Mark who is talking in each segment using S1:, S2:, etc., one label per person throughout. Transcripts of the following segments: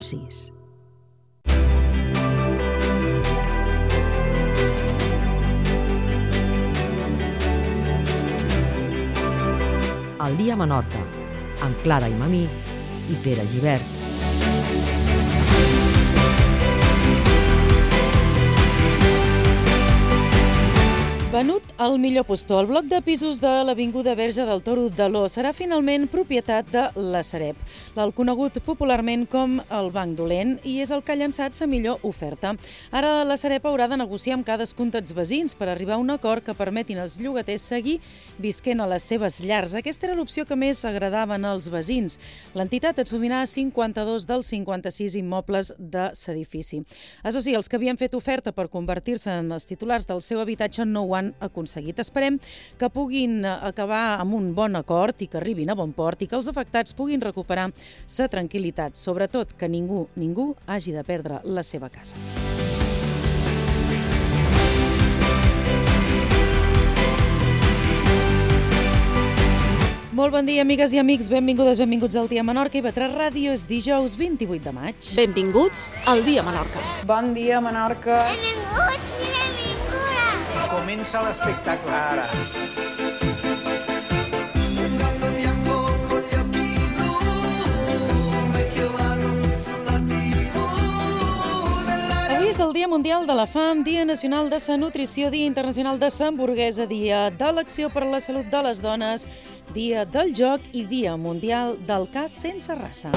S1: 6. El dia a Menorca, amb Clara i Mamí i Pere Gibert.
S2: Venut al millor postor, el bloc de pisos de l'Avinguda Verge del Toro d'Aló serà finalment propietat de la Sareb, el conegut popularment com el Banc Dolent, i és el que ha llançat sa millor oferta. Ara la Sareb haurà de negociar amb cadascun dels veïns per arribar a un acord que permetin als llogaters seguir visquent a les seves llars. Aquesta era l'opció que més agradaven als veïns. L'entitat assumirà 52 dels 56 immobles de l'edifici. Això sí, els que havien fet oferta per convertir-se en els titulars del seu habitatge no ho han aconseguit. Esperem que puguin acabar amb un bon acord i que arribin a bon port i que els afectats puguin recuperar sa tranquil·litat, sobretot que ningú hagi de perdre la seva casa. Molt bon dia, amigues i amics. Benvingudes, benvinguts al Dia Menorca. IB3 Ràdio és dijous 28 de maig.
S3: Benvinguts al Dia Menorca.
S4: Bon dia, Menorca.
S5: Benvinguts i benvingudes.
S6: Comença l'espectacle ara.
S2: Avui és el Dia Mundial de la Fam, Dia Nacional de la Nutrició, Dia Internacional de la Hamburguesa, Dia de l'Acció per la Salut de les Dones, Dia del Joc i Dia Mundial del Cas sense raça.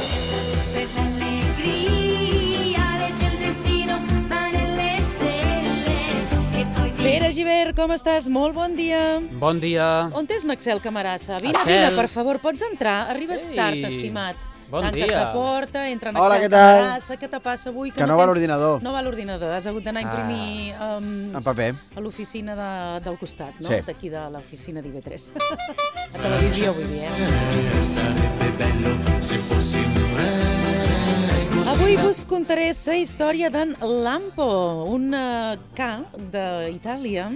S2: Pere Gibert, com estàs? Molt bon dia.
S6: Bon dia.
S2: On és Naxel Camarassa? Vine,
S6: Axel.
S2: per favor, pots entrar? Arribes tard, estimat.
S6: Bon
S2: Tanca
S6: dia.
S2: sa porta, entra
S7: Hola,
S2: Naxel
S7: què tal?
S2: Camarassa. Què te passa avui?
S7: Que no va l'ordinador.
S2: No va l'ordinador. Has hagut d'anar a imprimir
S7: en paper.
S2: a l'oficina del costat, no?
S7: Sí.
S2: D'aquí de l'oficina d'IB3. A televisió, vull dir, Avui vos contaré la història d'en Lampo, un ca d'Itàlia.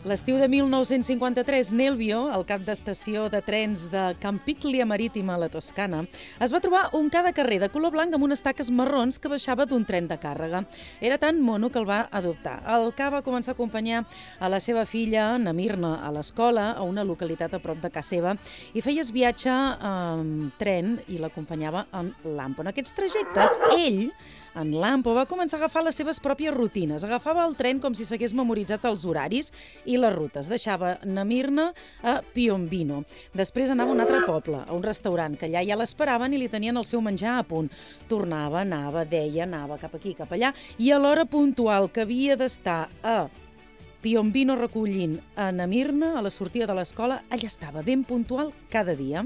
S2: L'estiu de 1953, Nelvio, el cap d'estació de trens de Campiglia Marítima a la Toscana, es va trobar un ca de carrer de color blanc amb unes taques marrons que baixava d'un tren de càrrega. Era tan mono que el va adoptar. El ca va començar a acompanyar a la seva filla, Namirna, a l'escola, a una localitat a prop de casa seva, i feies viatge amb tren i l'acompanyava en Lampo. En aquests trajectes, ell, en Lampo, va començar a agafar les seves pròpies rutines. Agafava el tren com si s'hagués memoritzat els horaris i les rutes. Deixava Namirna a Piombino. Després anava a un altre poble, a un restaurant, que allà ja l'esperaven i li tenien el seu menjar a punt. Tornava, anava, deia, anava cap aquí, cap allà, i a l'hora puntual que havia d'estar a Piombino recollint a Namirna a la sortida de l'escola, allà estava ben puntual cada dia.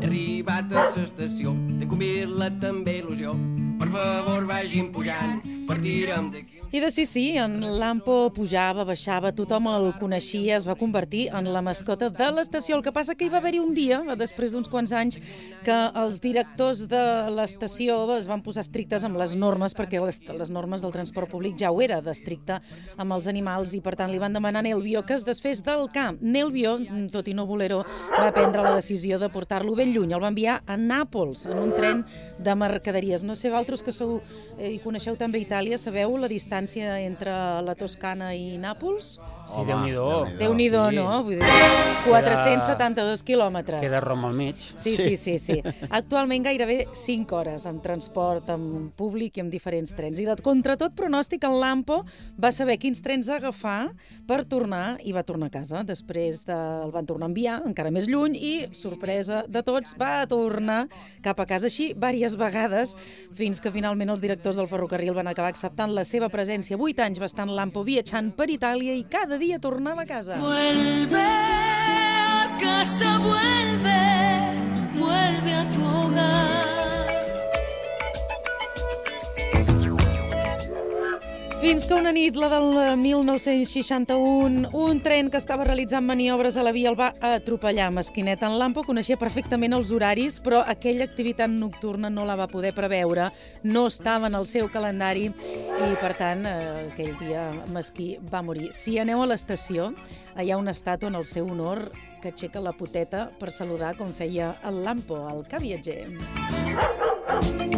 S8: Arribat a l'estació, de convidar-la també il·lusió. Per favor, vagin pujant, partirem d'aquí.
S2: I de sí, en Lampo pujava, baixava, tothom el coneixia, es va convertir en la mascota de l'estació. El que passa que hi va haver-hi un dia, després d'uns quants anys, que els directors de l'estació es van posar estrictes amb les normes, perquè les normes del transport públic ja ho era, d'estricte amb els animals, i per tant li van demanar a Nelvio que es desfés del ca. Nelvio, tot i no voler-ho, va prendre la decisió de portar-lo ben lluny. El va enviar a Nàpols, en un tren de mercaderies. No sé, vosaltres que sou i coneixeu també Itàlia, sabeu la distància entre la Toscana i Nàpols?
S6: Sí, Déu-n'hi-do.
S2: Déu-n'hi-do,
S6: Sí.
S2: no? Vull dir, 472 quilòmetres.
S6: Queda Roma al mig.
S2: Sí. Actualment gairebé 5 hores amb transport, amb públic i amb diferents trens. I contra tot pronòstic, en Lampo va saber quins trens agafar per tornar i va tornar a casa. Després el van tornar a enviar encara més lluny i, sorpresa de tots, va tornar cap a casa així diverses vegades fins que finalment els directors del ferrocarril van acabar acceptant la seva presència. 8 anys va estar en Lampo viatjant per Itàlia i cada dia tornava a casa.
S9: Vuelve a casa, vuelve a tu hogar.
S2: Fins que una nit, la del 1961, un tren que estava realitzant maniobres a la via el va atropellar. Mesquinet en Lampo coneixia perfectament els horaris, però aquella activitat nocturna no la va poder preveure, no estava en el seu calendari i, per tant, aquell dia Mesquí va morir. Si aneu a l'estació, hi ha una estàtua en el seu honor que aixeca la poteta per saludar com feia el Lampo, el ca viatger.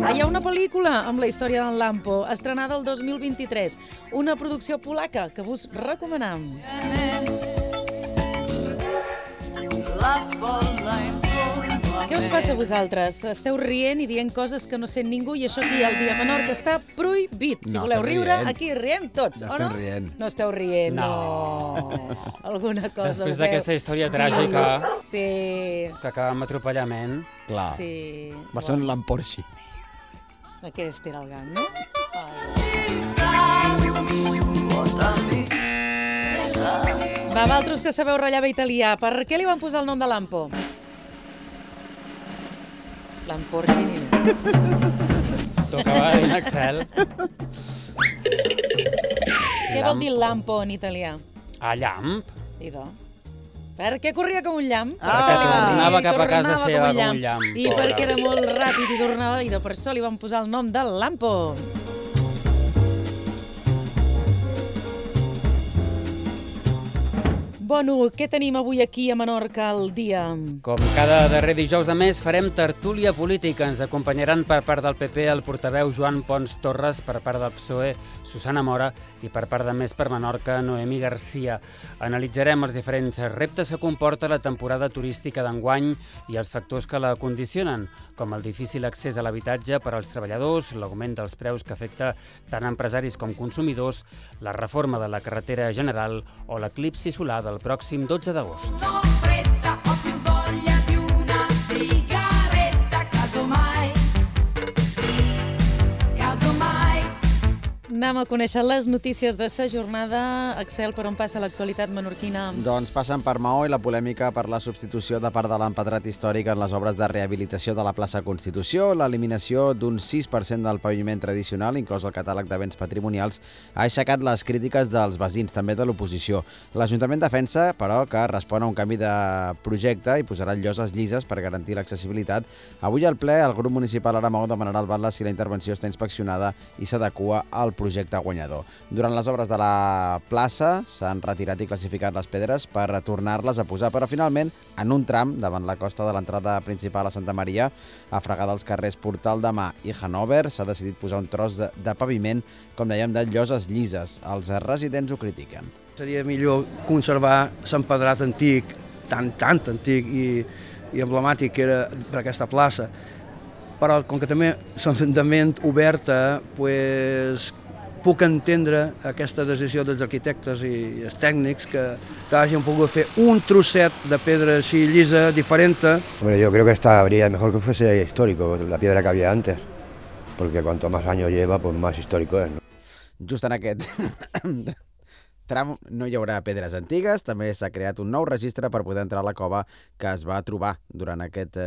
S2: Hi ha una pel·lícula amb la història d'en Lampo, estrenada el 2023, una producció polaca que vos recomanem. Què us passa a vosaltres? Esteu rient i dient coses que no sent ningú i això aquí al Dia Menorca està prohibit. Si voleu riure, aquí riem tots, o no? No esteu rient, no. Alguna cosa.
S6: Després d'aquesta història tràgica
S2: que
S6: acaba amb atropellament.
S4: Clar, va ser un Lamporxi.
S2: Aquest era el gang, no? Va, vosaltres que sabeu ratllar bé italià, per què li van posar el nom de Lampo? Lamborghini.
S6: Tocava en Excel.
S2: Què vol dir Lampo en italià?
S6: Llamp?
S2: Idò. Perquè corria com un llamp.
S6: Perquè tornava cap a casa seva com un llamp.
S2: I perquè era molt ràpid i tornava, i per això li van posar el nom de Lampo. Bueno, què tenim avui aquí a Menorca al dia?
S6: Com cada darrer dijous de mes farem tertúlia política. Ens acompanyaran per part del PP el portaveu Joan Pons Torres, per part del PSOE Susana Mora i per part de Més per Menorca Noemí Garcia. Analitzarem els diferents reptes que comporta la temporada turística d'enguany i els factors que la condicionen, com el difícil accés a l'habitatge per als treballadors, l'augment dels preus que afecta tant empresaris com consumidors, la reforma de la carretera general o l'eclipsi solar del pròxim 12 d'agost.
S9: No fretta, ho più voglia di una sigaretta, casomai.
S2: Anem a conèixer les notícies de sa jornada. Axel, per on passa l'actualitat menorquina?
S4: Doncs passen per Maó i la polèmica per la substitució de part de l'empedrat històric en les obres de rehabilitació de la plaça Constitució, l'eliminació d'un 6% del paviment tradicional, inclòs el catàleg de béns patrimonials, ha aixecat les crítiques dels veïns, també de l'oposició. L'Ajuntament defensa, però, que respon a un canvi de projecte i posarà lloses llises per garantir l'accessibilitat. Avui al ple, el grup municipal Ara Maó demanarà al batlle si la intervenció està inspeccionada i s'adequa al projecte guanyador. Durant les obres de la plaça s'han retirat i classificat les pedres per tornar-les a posar, però finalment, en un tram davant la costa de l'entrada principal a Santa Maria, a fregar dels carrers Portal de Mar i Hanover, s'ha decidit posar un tros de paviment, com dèiem, de lloses llises. Els residents ho critiquen.
S7: Seria millor conservar l'empedrat antic, tan antic i emblemàtic que era per aquesta plaça, però com que també l'Ajuntament oberta, puc entendre aquesta decisió dels arquitectes i els tècnics que hagin pogut fer un trosset de pedra així llisa, diferent.
S10: Hombre, yo creo que habría mejor que fuese histórico, la piedra que había antes, porque cuanto más años lleva, pues más histórico es, ¿no?
S4: Just en aquest tram no hi haurà pedres antigues, també s'ha creat un nou registre per poder entrar a la cova que es va trobar durant aquest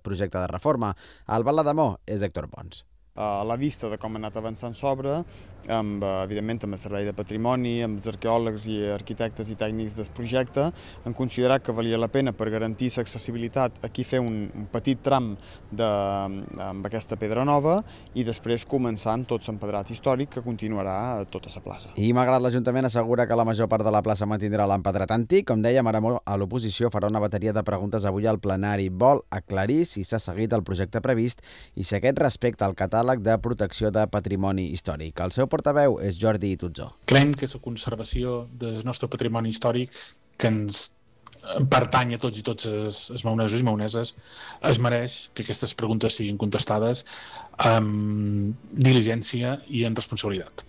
S4: projecte de reforma. El batlle de Maó és Héctor Pons.
S11: A la vista de com ha anat avançant l'obra, evidentment amb el Servei de Patrimoni, amb els arqueòlegs i arquitectes i tècnics del projecte, han considerat que valia la pena per garantir l'accessibilitat aquí fer un petit tram amb aquesta pedra nova i després començar amb tot l'empedrat històric que continuarà a tota la plaça.
S4: I malgrat l'Ajuntament assegura que la major part de la plaça mantindrà l'empedrat antic, com dèiem, ara a l'oposició farà una bateria de preguntes avui al plenari. Vol aclarir si s'ha seguit el projecte previst i si aquest respecta al catàleg de protecció de patrimoni històric. El seu portaveu és Jordi Tutzó.
S12: Creiem que la conservació del nostre patrimoni històric, que ens pertany a tots i tots els maonesos i maoneses, es mereix que aquestes preguntes siguin contestades amb diligència i amb responsabilitat.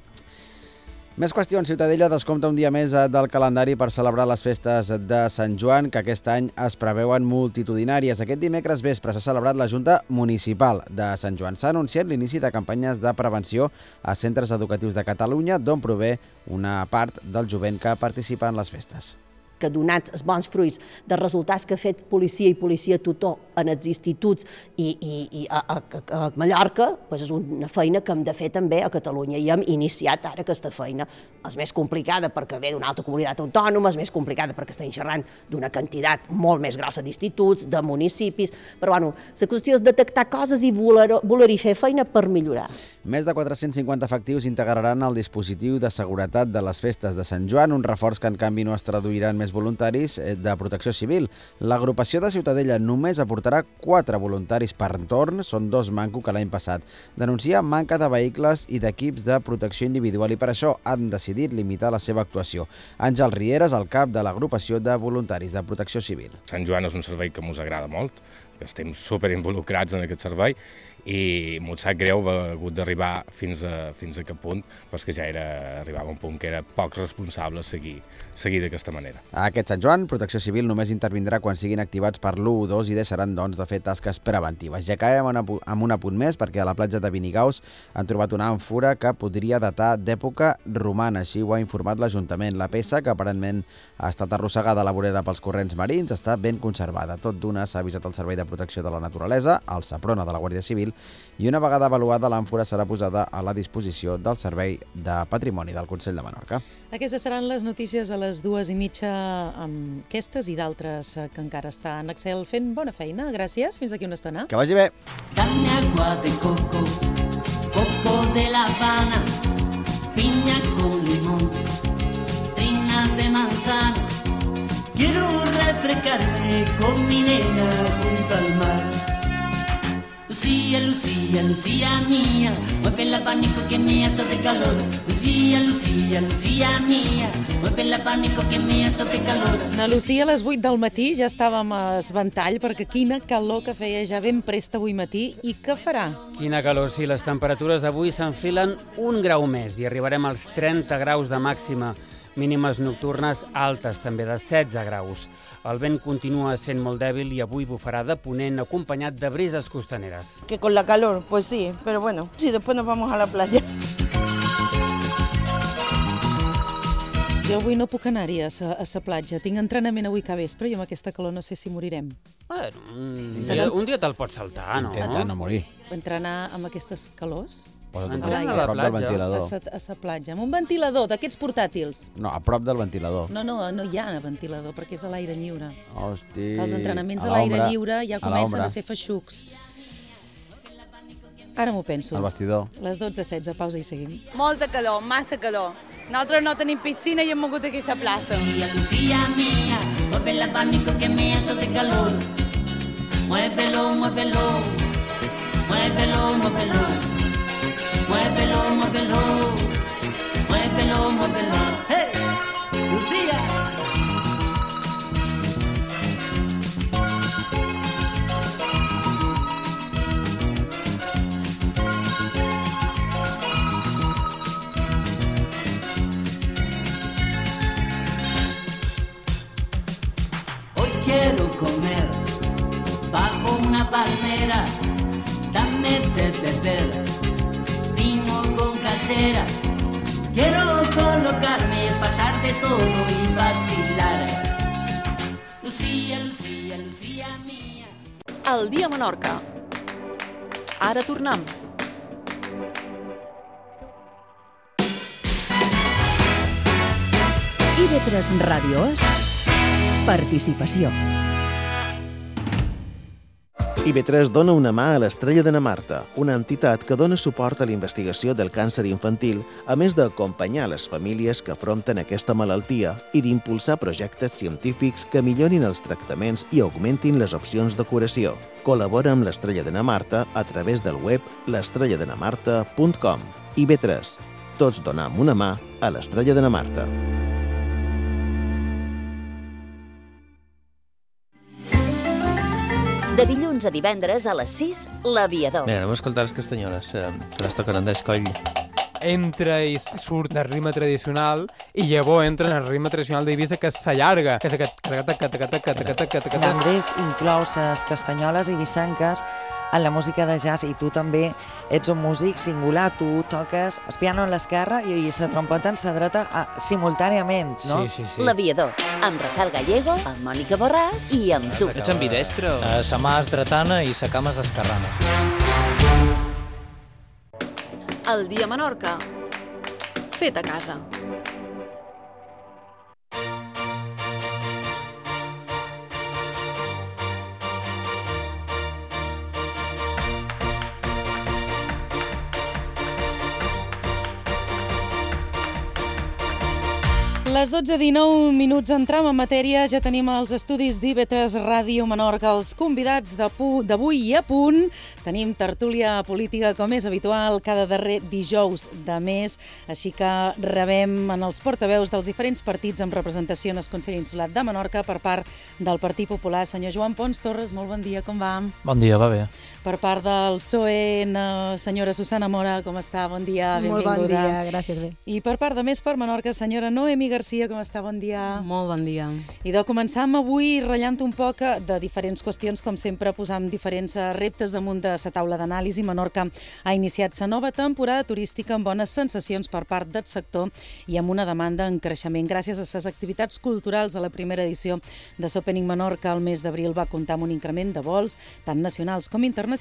S4: Més qüestions. Ciutadella descompta un dia més del calendari per celebrar les festes de Sant Joan, que aquest any es preveuen multitudinàries. Aquest dimecres vespre s'ha celebrat la Junta Municipal de Sant Joan. S'ha anunciat l'inici de campanyes de prevenció a centres educatius de Catalunya, d'on prové una part del jovent que participa en les festes.
S13: que ha donat els bons fruits dels resultats que ha fet policia i policia tutor en els instituts i a Mallorca, és una feina que hem de fer també a Catalunya i hem iniciat ara aquesta feina. És més complicada perquè ve d'una altra comunitat autònoma, és més complicada perquè estem xerrant d'una quantitat molt més grossa d'instituts, de municipis, però bueno, la qüestió és detectar coses i voler-hi fer feina per millorar.
S4: Més de 450 efectius integraran el dispositiu de seguretat de les festes de Sant Joan, un reforç que en canvi no es traduirà en més voluntaris de protecció civil. L'agrupació de Ciutadella només aportarà 4 voluntaris per torn, són 2 manco que l'any passat. Denuncia manca de vehicles i d'equips de protecció individual i per això han decidit limitar la seva actuació. Àngel Rieres, el cap de l'agrupació de voluntaris de protecció civil.
S14: Sant Joan és un servei que ens agrada molt, que estem superinvolucrats en aquest servei i m'ho sap greu haver hagut d'arribar fins a aquest punt, però és que ja arribava a un punt que era poc responsable seguir d'aquesta manera.
S4: A aquest Sant Joan, Protecció Civil només intervindrà quan siguin activats per l'112 i deixaran, doncs, de fer tasques preventives. Ja acabem amb un apunt més, perquè a la platja de Vinigaus han trobat una àmfora que podria datar d'època romana, així ho ha informat l'Ajuntament. La peça, que aparentment ha estat arrossegada a la vorera pels corrents marins, està ben conservada. Tot d'una s'ha avisat el Servei de Protecció de la Naturalesa, el Saprona de la Guàrdia Civil, i una vegada avaluada, l'àmfora serà posada a la disposició del Servei de Patrimoni del Consell de Menorca.
S2: Aquestes seran les notícies a les 2:30 amb aquestes i d'altres que encara estan. Axel, fent bona feina. Gràcies. Fins aquí una estona.
S4: Que vagi bé.
S9: Dame agua de coco, coco de La Habana, piña con limón, trina de manzana. Quiero refrescarme con mi nena junto al mar. Lucía, Lucía, Lucía mía, mueve el abanico que me hace de calor. Lucía, Lucía, Lucía mía, mueve el abanico que me hace de calor.
S2: Na Lucía, a les 8 del matí ja estàvem a esventall perquè quina calor que feia ja ben prest avui matí i què farà?
S6: Quina calor, sí, les temperatures avui s'enfilen 1 grau més i arribarem als 30 graus de màxima. Mínimes nocturnes altes, també de 16 graus. El vent continua sent molt dèbil i avui bufarà de ponent acompanyat de brises costaneres.
S15: Que con la calor, pues sí, pero bueno, sí, después nos vamos a la playa.
S2: Jo avui no puc anar-hi a la platja. Tinc entrenament avui que vespre i amb aquesta calor no sé si morirem.
S6: Bueno, un dia te'l pots saltar, no?
S4: Intenta no morir.
S2: Entrenar amb aquestes calors?
S4: Posa't a prop del ventilador.
S2: A la platja, amb un ventilador d'aquests portàtils.
S4: No, a prop del ventilador.
S2: No hi ha ventilador perquè és a l'aire lliure.
S4: Hosti.
S2: Els entrenaments a l'aire lliure ja comencen a ser feixucs. Ara m'ho penso.
S4: El vestidor.
S2: Les 12:16, pausa i seguim.
S16: Molta calor, massa calor. Nosaltres no tenim piscina i hem mogut aquí a la plaça.
S9: Lucía, Lucía mía, mueve el abanico que me hace de calor. Muévelo, muévelo, muévelo, muévelo. Muévelo, muévelo, muévelo, muévelo. ¡Hey! ¡Lucía! Hoy quiero comer bajo una palmera. Dame de beber vino con casera. Quiero colocarme, pasar de todo y vacilar. Lucía, Lucía, Lucía mía.
S3: El dia a Menorca. Ara tornem.
S17: IB3 Ràdio és participació.
S18: IB3 dona una mà a l'Estrella de na Marta, una entitat que dona suport a la investigació del càncer infantil, a més d'acompanyar les famílies que afronten aquesta malaltia i d'impulsar projectes científics que millorin els tractaments i augmentin les opcions de curació. Col·labora amb l'Estrella de na Marta a través del web l'estrelladenamarta.com. IB3. Tots donem una mà a l'Estrella de na Marta.
S19: De dilluns a divendres a les 6, l'Aviador.
S20: Mira, anem a escoltar les castanyoles, que les toquen Andrés Coll.
S21: Entra i surt del ritme tradicional i llavors entra en el ritme tradicional d'Eivissa que s'allarga, que és aquest...
S1: L'Andrés inclou les castanyoles eivissanques
S5: en la música de jazz, i tu també ets un músic singular, tu toques el piano en l'esquerra i la trompeta en la dreta simultàniament, no?
S6: Sí.
S19: L'Aviador, amb Rafael Gallego, amb Mònica Borràs i amb tu.
S20: Ets ambidestre? Sa mà és dretana i sa cama és esquerrana.
S3: El dia a Menorca. Fet a casa.
S2: Les 12:19 entram en matèria, ja tenim els estudis d'IV3 Ràdio Menorca, els convidats d'avui i a punt. Tenim tertúlia política, com és habitual, cada darrer dijous de mes, així que rebem en els portaveus dels diferents partits amb representació en el Consell Insular de Menorca per part del Partit Popular. Senyor Joan Pons Torres, molt bon dia, com va?
S20: Bon dia, va bé.
S2: Per part del PSOE, senyora Susana Mora, com està? Bon dia, benvinguda.
S22: Molt bon dia, gràcies, bé.
S2: I per part de Més per Menorca, senyora Noemi Garcia, com està? Bon dia.
S22: Molt bon dia.
S2: I de començar avui ratllant un poc de diferents qüestions, com sempre posant diferents reptes damunt de la taula d'anàlisi. Menorca ha iniciat la nova temporada turística amb bones sensacions per part del sector i amb una demanda en creixement. Gràcies a les activitats culturals de la primera edició de l'Opening Menorca, el mes d'abril va comptar amb un increment de vols, tant nacionals com internacionals,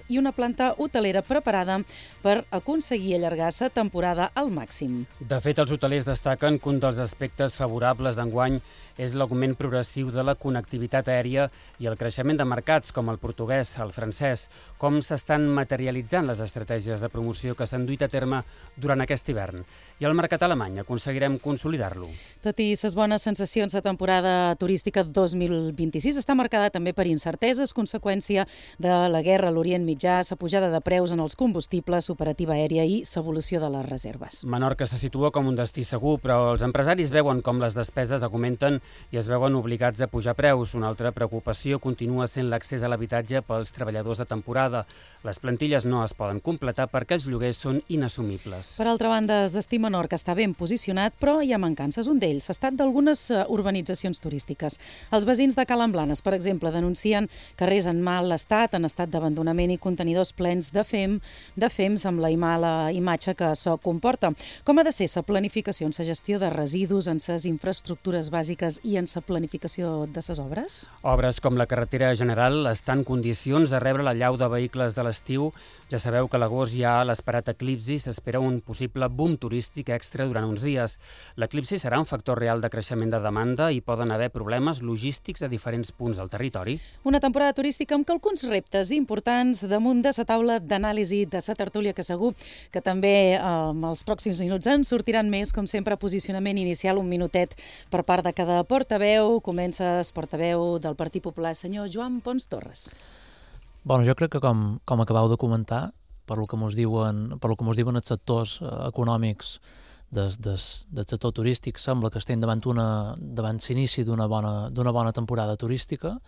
S2: i una planta hotelera preparada per aconseguir allargar la temporada al màxim.
S6: De fet, els hotelers destaquen que un dels aspectes favorables d'enguany és l'augment progressiu de la connectivitat aèria i el creixement de mercats com el portuguès, el francès. Com s'estan materialitzant les estratègies de promoció que s'han duit a terme durant aquest hivern? I el mercat alemany aconseguirem consolidar-lo.
S2: Tot i les bones sensacions, la temporada turística 2026 està marcada també per incerteses, conseqüència de la guerra a l'Orient Mitjà, la pujada de preus en els combustibles, operativa aèria i l'evolució de les reserves.
S6: Menorca se situa com un destí segur, però els empresaris veuen com les despeses augmenten i es veuen obligats a pujar preus. Una altra preocupació continua sent l'accés a l'habitatge pels treballadors de temporada. Les plantilles no es poden completar perquè els lloguers són inassumibles.
S2: Per altra banda, el destí Menorca està ben posicionat, però hi ha mancances. Un d'ells, l'estat d'algunes urbanitzacions turístiques. Els veïns de Cala Blanes, per exemple, denuncien carrers en mal estat, en estat d'abandonament i contenidors plens de fems amb la mala imatge que això comporta. Com ha de ser la planificació en la gestió de residus, en les infraestructures bàsiques i en la planificació de les obres?
S6: Obres com la carretera general estan en condicions de rebre la llau de vehicles de l'estiu. Ja sabeu que a l'agost hi ha l'esperat eclipsi, s'espera un possible boom turístic extra durant uns dies. L'eclipsi serà un factor real de creixement de demanda i poden haver problemes logístics a diferents punts del territori.
S2: Una temporada turística amb alguns reptes importants damunt de la taula d'anàlisi de la tertúlia, que segur que també en els pròxims minuts en sortiran més. Com sempre, posicionament inicial, un minutet per part de cada portaveu. Comença el portaveu del Partit Popular, senyor Joan Pons Torres.
S20: Bueno, jo crec que com acabeu de comentar, per lo que mos diuen els sectors econòmics del sector turístic, sembla que estem davant l'inici d'una bona temporada turística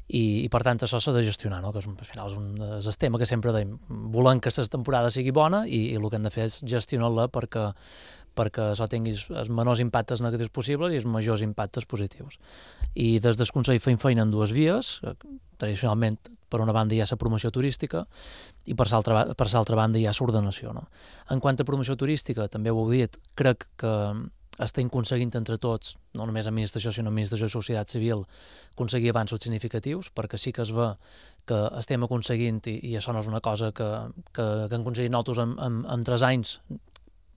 S20: i per tant això s'ha de gestionar, no? Que al final és el tema que sempre dèiem, volem que la temporada sigui bona i el que hem de fer és gestionar-la perquè això tingui els menors impactes negatius possibles i els majors impactes positius. I des del Consell fem feina en dues vies. Tradicionalment, per una banda hi ha la promoció turística i per l'altra banda hi ha l'ordenació, no? En quant a promoció turística, també ho heu dit, crec que estem aconseguint entre tots, no només administració, sinó administració i societat civil, aconseguir avanços significatius, perquè sí que es ve que estem aconseguint, i això no és una cosa que hem aconseguit nosaltres en 3 anys,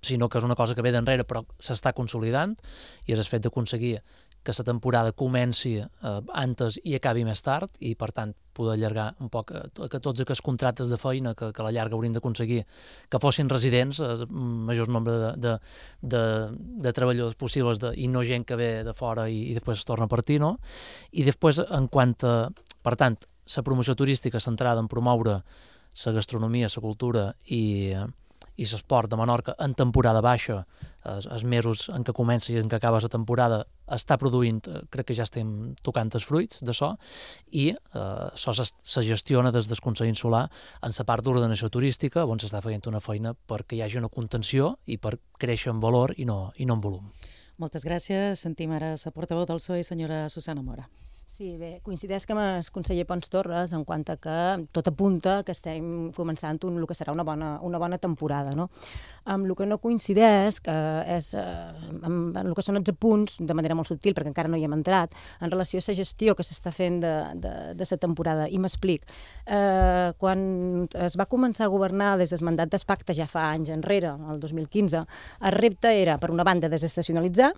S20: sinó que és una cosa que ve d'enrere però s'està consolidant, i és el fet d'aconseguir que la temporada comenci antes i acabi més tard, i per tant poder allargar un poc que tots aquests contractes de feina que a la llarga hauríem d'aconseguir que fossin residents, el major nombre de treballadors possibles i no gent que ve de fora i després es torna a partir, no? I després, en quant a, per tant, la promoció turística centrada en promoure la gastronomia, la cultura i l'esport de Menorca en temporada baixa, els mesos en què comença i en què acaba la temporada, està produint, crec que ja estem tocant els fruits d'això, i això se gestiona des del Consell Insular en la part d'ordenació turística, on s'està fent una feina perquè hi hagi una contenció i per créixer en valor i no en volum.
S2: Moltes gràcies. Sentim ara la portaveu del PSOE, senyora Susana Mora.
S8: Sí, bé, coincideix que amb el conseller Pons Torres en quant a que tot apunta que estem començant el que serà una bona temporada, no? Amb el que no coincideix que és amb el que són els apunts, de manera molt subtil, perquè encara no hi hem entrat, en relació a la gestió que s'està fent de la temporada. I m'explic. Quan es va començar a governar des del mandat d'Espacta ja fa anys enrere, el 2015, el repte era, per una banda, desestacionalitzar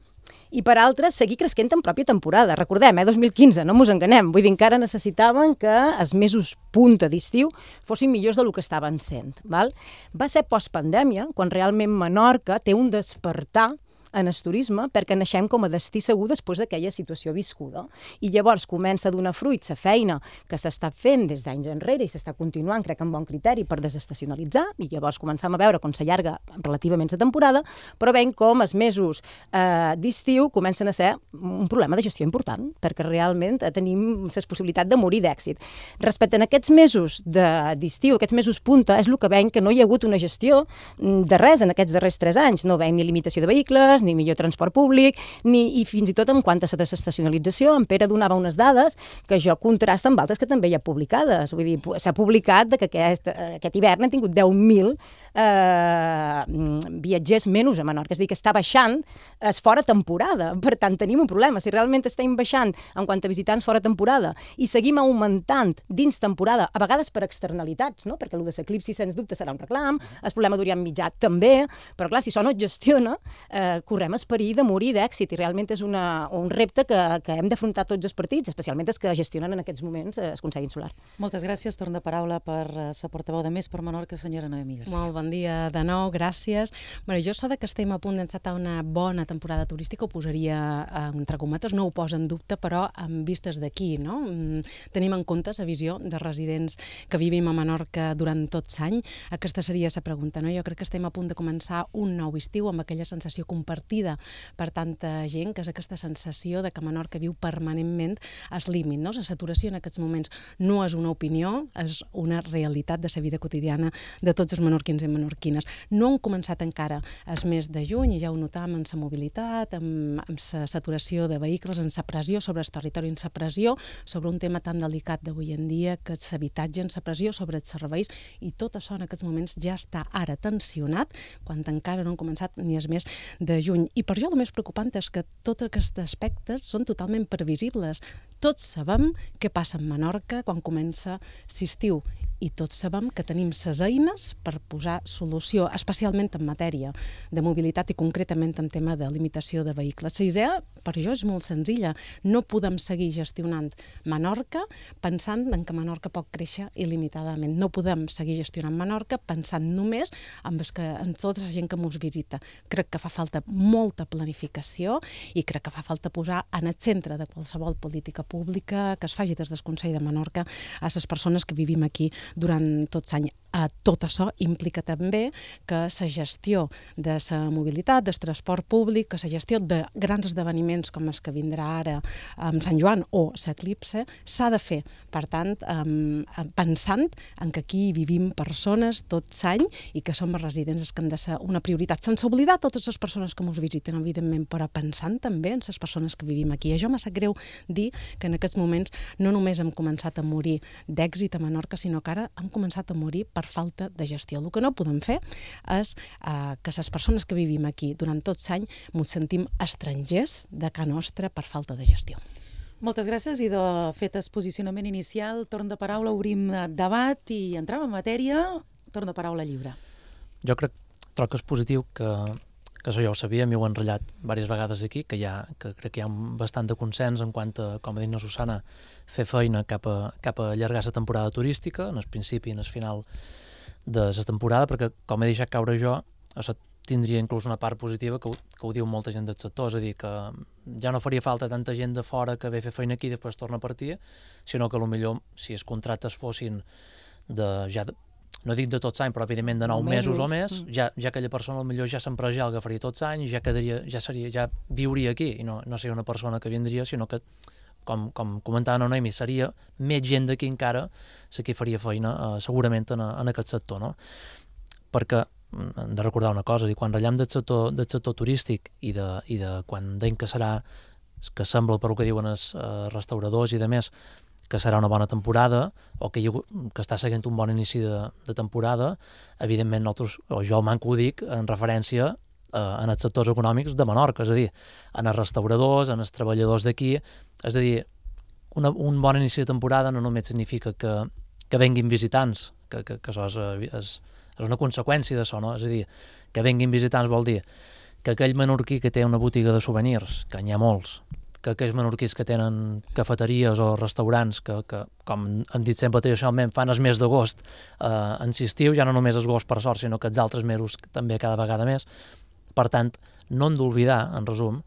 S8: i, per altra, seguir cresquent en pròpia temporada. Recordem, 2015, no mos enganem. Vull dir, encara necessitaven que els mesos punta d'estiu fossin millors del que estaven sent. Val? Va ser postpandèmia, quan realment Menorca té un despertar en el turisme perquè naixem com a destí segur després d'aquella situació viscuda. I llavors comença a donar fruits la feina que s'està fent des d'anys enrere i s'està continuant, crec, amb bon criteri per desestacionalitzar, i llavors començam a veure com s'allarga relativament la temporada, però veiem com els mesos d'estiu comencen a ser un problema de gestió important, perquè realment tenim la possibilitat de morir d'èxit. Respecte a aquests mesos d'estiu, aquests mesos punta, és el que veiem que no hi ha hagut una gestió de res en aquests darrers 3 anys. No veiem ni limitació de vehicles, ni millor transport públic, i fins i tot en quant a la desestacionalització. En Pere donava unes dades que jo contrasta amb altres que també hi ha publicades. Vull dir, s'ha publicat que aquest hivern hem tingut 10.000 viatgers menys a Menorca. És a dir, que està baixant fora temporada. Per tant, tenim un problema. Si realment estem baixant en quant a visitants fora temporada i seguim augmentant dins temporada, a vegades per externalitats, no? Perquè el de l'eclipsi, sens dubte, serà un reclam, el problema d'Orient Mitjà també, però clar, si això no es gestiona, correm el perill de morir d'èxit, i realment és un repte que hem d'afrontar tots els partits, especialment els que gestionen en aquests moments el Consell Insular.
S2: Moltes gràcies. Torn de paraula per la portaveu de Més per Menorca, senyora Noemí Garcia.
S22: Molt bon dia de nou, gràcies. Jo so que estem a punt d'encetar una bona temporada turística ho posaria entre cometes, no ho posa en dubte, però amb vistes d'aquí, no? Tenim en compte la visió de residents que vivim a Menorca durant tot l'any. Aquesta seria la pregunta, no? Jo crec que estem a punt de començar un nou estiu amb aquella sensació compartida per tanta gent, que és aquesta sensació de que Menorca viu permanentment al límit, no? La saturació en aquests moments no és una opinió, és una realitat de la vida quotidiana de tots els menorquins i menorquines. No han començat encara el mes de juny, i ja ho notàvem en la mobilitat, amb la saturació de vehicles, en la pressió sobre el territori, en la pressió sobre un tema tan delicat d'avui en dia, que és l'habitatge, en la pressió sobre els serveis, i tot això en aquests moments ja està ara tensionat, quan encara no han començat ni el mes de juny. I per jo el més preocupant és que tots aquests aspectes són totalment previsibles. Tots sabem què passa a Menorca quan comença l'estiu, i tots sabem que tenim les eines per posar solució, especialment en matèria de mobilitat i concretament en tema de limitació de vehicles. La idea, per jo, és molt senzilla. No podem seguir gestionant Menorca pensant en que Menorca pot créixer il·limitadament. No podem seguir gestionant Menorca pensant només en tota la gent que ens visita. Crec que fa falta molta planificació i crec que fa falta posar en el centre de qualsevol política pública que es faci des del Consell de Menorca a les persones que vivim aquí durant tot l'any. Tot això implica també que la gestió de la mobilitat, del transport públic, que la gestió de grans esdeveniments com els que vindrà ara amb Sant Joan o l'Eclipse, s'ha de fer. Per tant, pensant en que aquí vivim persones tot l'any i que som els residents els que hem de ser una prioritat, sense oblidar totes les persones que ens visiten, evidentment, però pensant també en les persones que vivim aquí. I això m'ha sap greu dir que en aquests moments no només hem començat a morir d'èxit a Menorca, sinó que ara hem començat a morir per falta de gestió. El que no podem fer és que les persones que vivim aquí durant tot l'any ens sentim estrangers de casa nostra per falta de gestió.
S2: Moltes gràcies, i de fet el posicionament inicial, torn de paraula, obrim debat i entrem en matèria, torn de paraula lliure.
S20: Jo crec que és positiu que això ja ho sabia, m'ho han ratllat diverses vegades aquí, que crec que hi ha bastant de consens en quant a, com ha dit la Susana, fer feina cap a allargar la temporada turística, en el principi i en el final de la temporada, perquè, com he deixat caure jo, això tindria inclús una part positiva que ho diu molta gent del sector, és a dir, que ja no faria falta tanta gent de fora que ve a fer feina aquí i després torna a partir, sinó que potser si els contractes fossin no dic de tots l'any, però evidentment de 9 mesos o més, ja aquella persona potser ja s'empresa, ja l'agafaria tots l'any, ja viuria aquí, i no seria una persona que vindria, sinó que, com comentava la Noemi, seria més gent d'aquí encara la que faria feina segurament en aquest sector, no? Perquè hem de recordar una cosa, quan ratllem del sector turístic i de quan deim que serà que sembla, per el que diuen els restauradors i de més, que serà una bona temporada, o que està seguint un bon inici de temporada, evidentment nosaltres, o jo al manco ho dic, en referència en els sectors econòmics de Menorca, és a dir, en els restauradors, en els treballadors d'aquí, és a dir, un bon inici de temporada no només significa que venguin visitants, que això és una conseqüència d'això, no? És a dir, que venguin visitants vol dir que aquell menorquí que té una botiga de souvenirs, que n'hi ha molts, que aquells menorquís que tenen cafeteries o restaurants que com han dit sempre tradicionalment, fan els mesos d'agost en l'estiu, ja no només els agost per sort, sinó que els altres mesos també cada vegada més. Per tant, no hem d'oblidar, en resum,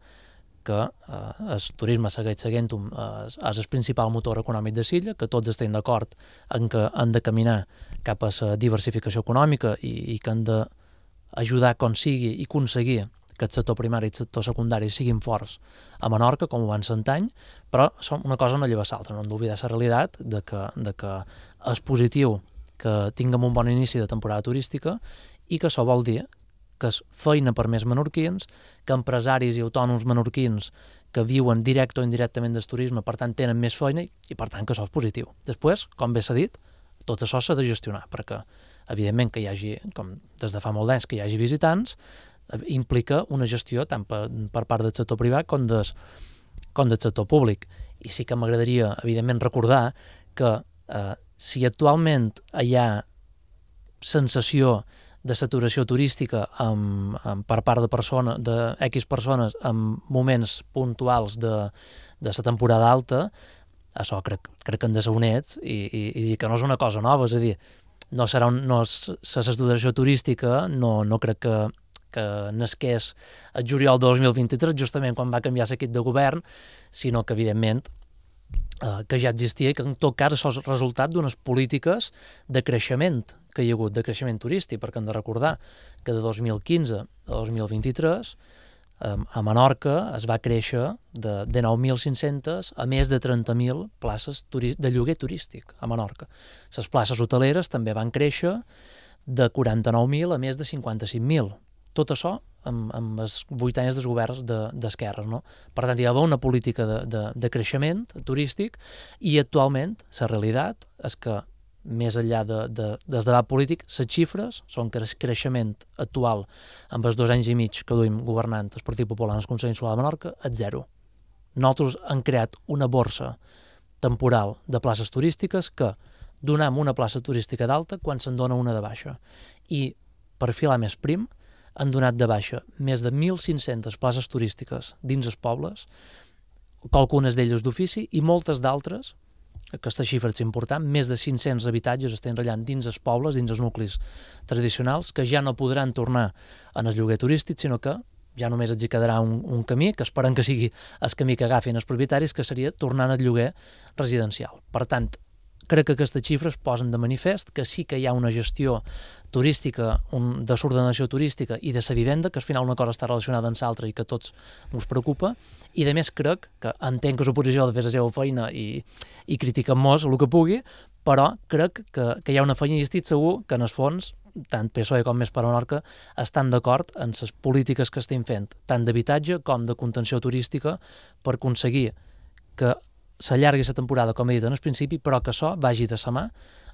S20: que el turisme segueix seguint és el principal motor econòmic de l'illa, que tots estem d'acord en que han de caminar cap a la diversificació econòmica i que han d'ajudar com sigui i aconseguir que el sector primari i el sector secundari siguin forts a Menorca, com ho van ser antany, però una cosa no lleva l'altra, no hem d'oblidar la realitat de que és positiu que tinguem un bon inici de temporada turística i que això vol dir que és feina per més menorquins, que empresaris i autònoms menorquins que viuen directe o indirectament del turisme, per tant, tenen més feina i, per tant, que això és positiu. Després, com bé s'ha dit, tot això s'ha de gestionar, perquè, evidentment, que hi hagi, com des de fa molt d'anys, que hi hagi visitants, implica una gestió tant per part del sector privat com del sector públic. I sí que m'agradaria, evidentment, recordar que si actualment hi ha sensació de saturació turística per part de X persones en moments puntuals de la temporada alta, això crec que hem de ser honets i dir que no és una cosa nova, és a dir, la saturació turística no crec que nasqués el juliol de 2023, justament quan va canviar l'equip de govern, sinó que, evidentment, que ja existia i que en tot cas això és resultat d'unes polítiques de creixement que hi ha hagut, de creixement turístic, perquè hem de recordar que de 2015 a 2023 a Menorca es va créixer de 9.500 a més de 30.000 places de lloguer turístic a Menorca. Les places hoteleres també van créixer de 49.000 a més de 55.000. Tot això amb els 8 anys dels governs d'esquerres, no? Per tant, hi ha una política de creixement turístic i actualment la realitat és que més enllà del debat polític, les xifres són que el creixement actual amb els 2 anys i mig que duim governant el Partit Popular en el Consell Insular de Menorca és zero. Nosaltres hem creat una borsa temporal de places turístiques que donem una plaça turística d'alta quan se'n dona una de baixa. I, per filar més prim, han donat de baixa més de 1.500 places turístiques dins els pobles, qualcunes d'elles d'ofici i moltes d'altres, aquesta xifra és important, més de 500 habitatges estan rellant dins els pobles, dins els nuclis tradicionals, que ja no podran tornar en el lloguer turístic, sinó que ja només els hi quedarà un camí, que esperem que sigui el camí que agafin els propietaris, que seria tornar al lloguer residencial. Per tant, crec que aquestes xifres posen de manifest que sí que hi ha una gestió turística, de l'ordenació turística i de la vivenda, que al final una cosa està relacionada amb l'altra i que a tots ens preocupa, i a més crec que entenc que l'oposició ha de fer la seva feina i critiquen molt el que pugui, però crec que hi ha una feina i estic segur que en el fons, tant PSOE com Més per Menorca, estan d'acord en les polítiques que estem fent, tant d'habitatge com de contenció turística, per aconseguir que s'allargui la temporada, com he dit en el principi, però que això vagi de la mà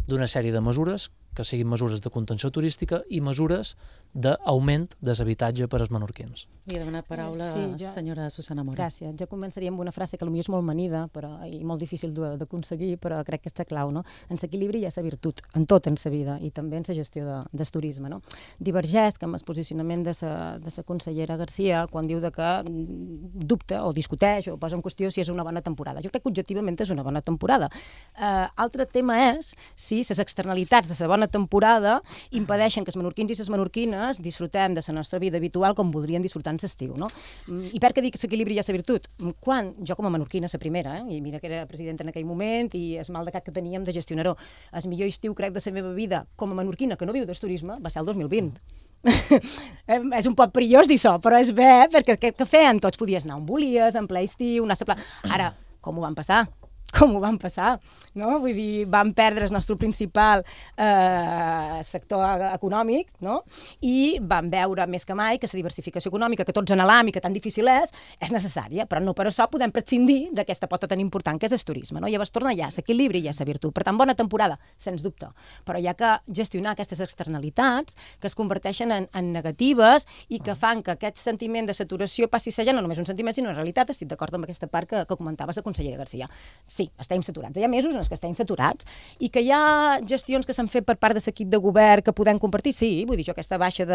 S20: d'una sèrie de mesures que siguin mesures de contenció turística i mesures d'augment de l'habitatge per als menorquins.
S2: Li he demanat paraula a la senyora Susana Mora.
S8: Gràcies. Jo començaria amb una frase que potser és molt manida i molt difícil d'aconseguir, però crec que és la clau, no? En l'equilibri hi ha la virtut, en tot en la vida, i també en la gestió del turisme, no? Divergeix amb el posicionament de la consellera Garcia quan diu que dubta o discuteix o posa en qüestió si és una bona temporada. Jo crec que objectivament és una bona temporada. Altre tema és si les externalitats de la bona temporada impedeixen que els menorquins i les menorquines disfrutem de la nostra vida habitual com voldrien disfrutar en l'estiu, no? I per què dic que l'equilibri hi ha la virtut? Quan jo com a menorquina, la primera, i mira que era presidenta en aquell moment i el mal de cap que teníem de gestionar-ho, el millor estiu crec de la meva vida com a menorquina que no viu del turisme va ser el 2020. És un poc perillós dir això, però és bé, perquè què feien? Tots podies anar on volies, en ple estiu, anar a la Ara, com ho van passar? com ho van passar, no? Vull dir, van perdre el nostre principal sector econòmic, no? I van veure més que mai que la diversificació econòmica, que tots anhelem i que tan difícil és necessària, però no per això podem prescindir d'aquesta pota tan important que és el turisme, no? Llavors torna ja l'equilibri i ja la virtut. Per tant, bona temporada, sens dubte, però hi ha que gestionar aquestes externalitats que es converteixen en negatives i que fan que aquest sentiment de saturació passi a ser ja no només un sentiment, sinó una realitat. Estic d'acord amb aquesta part que comentava la consellera Garcia. Sí, estem saturats. Hi ha mesos en els que estem saturats i que hi ha gestions que s'han fet per part de l'equip de govern que podem compartir. Sí, vull dir, jo aquesta baixa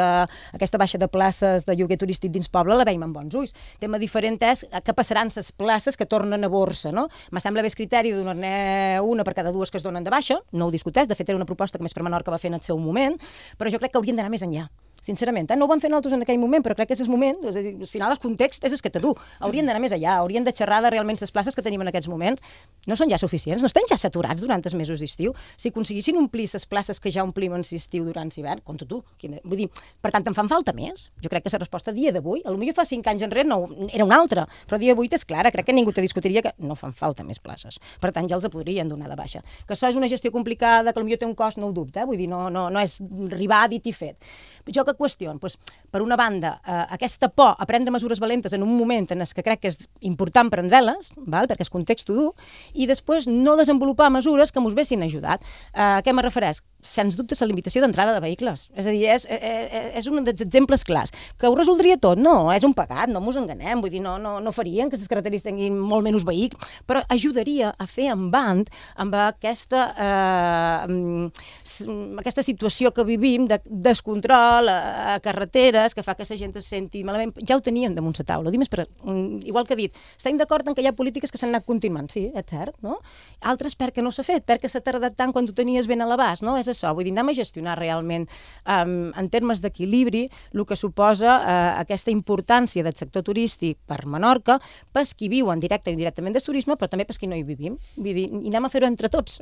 S8: de places de lloguer turístic dins poble la veiem amb bons ulls. El tema diferent és què passaran les places que tornen a borsa, no? Me sembla bé el criteri de donar-ne una per cada dues que es donen de baixa, no ho discuteix, de fet era una proposta que Més per Menorca va fer en el seu moment, però jo crec que haurien d'anar més enllà. Sincerament, no ho van fer nosaltres en aquell moment, però crec que és el moment, és a dir, al final el context és el que té tu. Haurien d'anar més allà, haurien de xerrar de realment les places que tenim en aquests moments. No són ja suficients, no estan ja saturats durant els mesos d'estiu. Si aconseguissin omplir les places que ja omplim en l'estiu durant l'hivern, compta tu. Vull dir, per tant, en fan falta més. Jo crec que la resposta a dia d'avui, potser fa 5 anys enrere no, era una altra, però a dia d'avui és clara, crec que ningú te discutiria que no fan falta més places. Per tant, ja els podrien donar de baixa. Que això és una gestió complicada, que potser té un cost, no ho dubte, vull dir, no és arribar, dit i fet. Jo que qüestiono, per una banda, aquesta por a prendre mesures valentes en un moment en què crec que és important prendre-les, perquè és context dur, i després no desenvolupar mesures que ens haguessin ajudat. A què me refereix? Sens dubte la limitació d'entrada de vehicles. És a dir, és un dels exemples clars. Que ho resoldria tot? No, és un pecat, no ens enganem, vull dir, no farien que les carreteres tinguin molt menys vehicles, però ajudaria a fer en band amb aquesta situació que vivim de descontrol a carreteres, que fa que la gent es senti malament. Ja ho tenien damunt la taula. Igual que he dit, estem d'acord en que hi ha polítiques que s'han anat continuant, sí, és cert, no? Altres perquè no s'ha fet, perquè s'ha tardat tant quan ho tenies ben a l'abast, no? És això, vull dir, anem a gestionar realment en termes d'equilibri el que suposa aquesta importància del sector turístic per Menorca, pels qui viuen directe o indirectament del turisme, però també pels qui no hi vivim. Vull dir, i anem a fer-ho entre tots.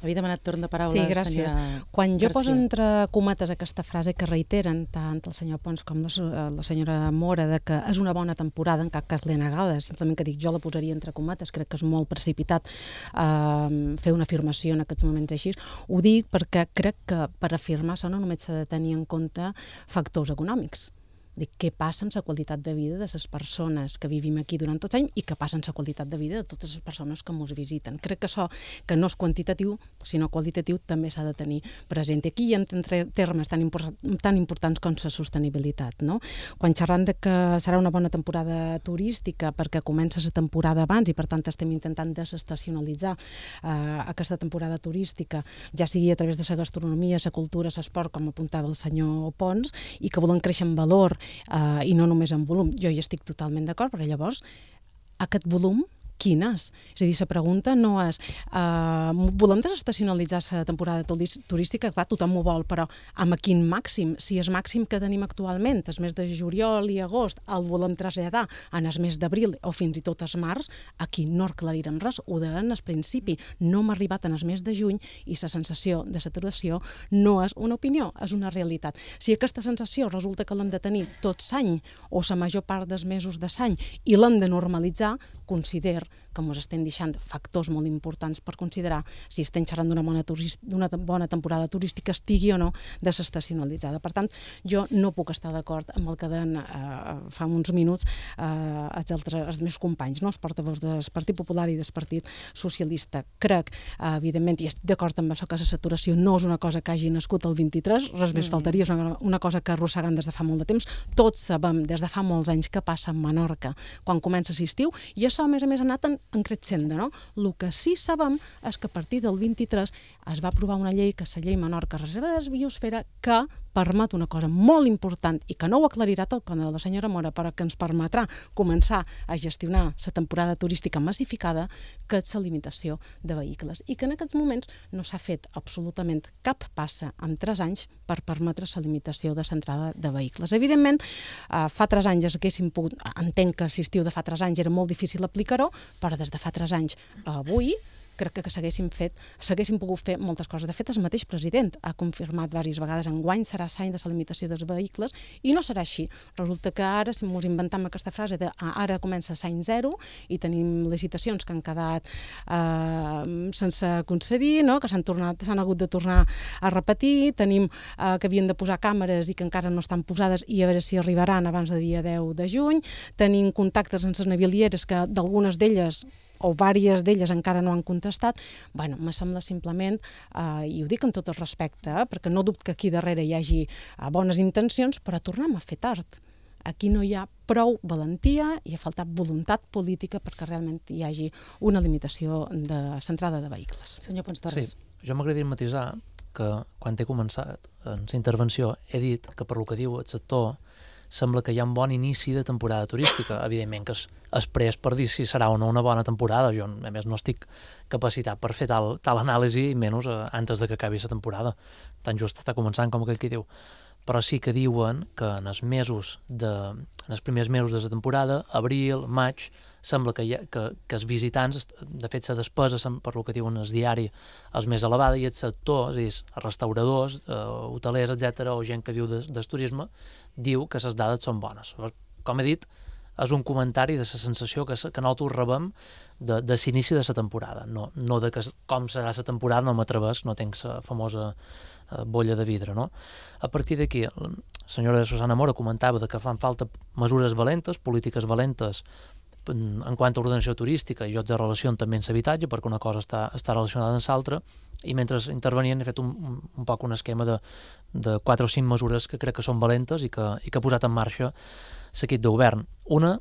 S2: Havia demanat torn de paraula.
S22: Sí, gràcies. Quan jo poso entre cometes aquesta frase que reiteren tant el senyor Pons com la senyora Mora, de que és una bona temporada, en cap cas l'he negada, simplement que dic, jo la posaria entre cometes, crec que és molt precipitat fer una afirmació en aquests moments així. Ho dic perquè crec que per afirmar això no només s'ha de tenir en compte factors econòmics. Dic, què passa amb la qualitat de vida de les persones que vivim aquí durant tot l'any i què passa amb la qualitat de vida de totes les persones que ens visiten. Crec que això, que no és quantitatiu, sinó qualitatiu, també s'ha de tenir present. I aquí hi ha termes tan importants com la sostenibilitat, no? Quan xerrant de que serà una bona temporada turística perquè comença la temporada abans i per tant estem intentant desestacionalitzar aquesta temporada turística, ja sigui a través de la gastronomia, la cultura, l'esport, com apuntava el senyor Pons, i que volen créixer en valor i no només en volum. Jo hi estic totalment d'acord, però llavors aquest volum quin és? És a dir, la pregunta no és volem desestacionalitzar la temporada turística? Clar, tothom ho vol, però amb quin màxim? Si el màxim que tenim actualment, el mes de juliol i agost, el volem traslladar en el mes d'abril o fins i tot el març, aquí no aclarirem res, ho deien al principi. No hem arribat en el mes de juny i la sensació de saturació no és una opinió, és una realitat. Si aquesta sensació resulta que l'hem de tenir tot l'any o la major part dels mesos de l'any i l'hem de normalitzar, considero que ens estem deixant factors molt importants per considerar si estem xerrant d'una bona temporada turística, estigui o no desestacionalitzada. Per tant, jo no puc estar d'acord amb el que deien fa uns minuts els meus companys, els portaveus del Partit Popular i del Partit Socialista. Crec, evidentment, i estic d'acord amb això, que la saturació no és una cosa que hagi nascut el 23, res més faltaria, és una cosa que arrossegant des de fa molt de temps. Tots sabem des de fa molts anys què passa a Menorca quan comença l'estiu, i això, a més, ha anat en crescendo, no? El que sí sabem és que a partir del 23 es va aprovar una llei, que és la llei Menorca Reserva de Biosfera, que permet una cosa molt important i que no ho aclarirà tot com la senyora Mora, però que ens permetrà començar a gestionar la temporada turística massificada, que és la limitació de vehicles, i que en aquests moments no s'ha fet absolutament cap passa en 3 anys per permetre la limitació de l'entrada de vehicles. Evidentment, fa 3 anys entenc que l'estiu de fa 3 anys era molt difícil aplicar-ho, però des de fa 3 anys a avui crec que s'haguessin pogut fer moltes coses. De fet, el mateix president ha confirmat diverses vegades enguany serà l'any de la limitació dels vehicles i no serà així. Resulta que ara, si ens inventem aquesta frase de ara comença l'any 0 i tenim licitacions que han quedat sense concedir, no? Que s'han hagut de tornar a repetir, tenim que havien de posar càmeres i que encara no estan posades i a veure si arribaran abans del dia 10 de juny, tenim contactes amb les navilieres que d'algunes d'elles o diverses d'elles encara no han contestat. Bueno, me sembla simplement, i ho dic amb tot el respecte, perquè no dubto que aquí darrere hi hagi bones intencions, però tornem a fer tard. Aquí no hi ha prou valentia i ha faltat voluntat política perquè realment hi hagi una limitació de centrada de vehicles.
S2: Senyor Pons Torres.
S20: Sí, jo m'agradaria matisar que quan he començat en la intervenció he dit que per lo que diu el sector sembla que hi ha un bon inici de temporada turística. Evidentment que es pres per dir si serà o no una bona temporada. Jo, a més, no estic capacitat per fer tal anàlisi, i menys antes de que acabi la temporada. Tan just està començant com aquell que diu. Però sí que diuen que en els primers mesos de la temporada, abril, maig, sembla que els visitants, de fet la despesa, per lo que diuen el diari, és més elevada i el sector, és a dir, els restauradors, hotelers, etc., o gent que viu del turisme, diu que les dades són bones. Com he dit, és un comentari de la sensació que nosaltres rebem de l'inici de la temporada, no de com serà la temporada, no m'atreveix, no tenc la famosa bolla de vidre, no? A partir d'aquí, la senyora Susana Mora comentava que fan falta mesures valentes, polítiques valentes en quant a ordenació turística i jocs de relació també en l'habitatge, perquè una cosa està relacionada amb l'altra, i mentre intervenien he fet un poc un esquema de 4 o 5 mesures que crec que són valentes i que ha posat en marxa l'equip de govern. Una,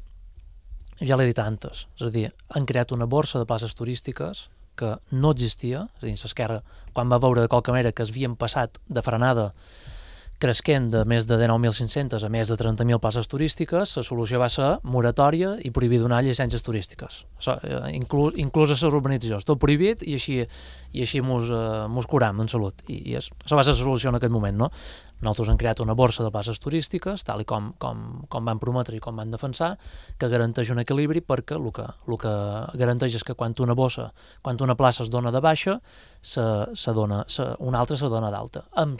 S20: ja l'he dit antes, és a dir, han creat una borsa de places turístiques que no existia, és a dir, l'Esquerra, quan va veure de qualque manera que havien passat de frenada cresquent de més de 19.500 a més de 30.000 places turístiques, la solució va ser moratòria i prohibir donar llicències turístiques. Inclús a les urbanitzacions. Tot prohibit i així mos curam en salut. I això va ser la solució en aquell moment, no? Nosaltres hem creat una borsa de places turístiques, tal com van prometre i com van defensar, que garanteix un equilibri perquè el que garanteix és que quan una plaça es dona de baixa, una altra se dona d'alta. Amb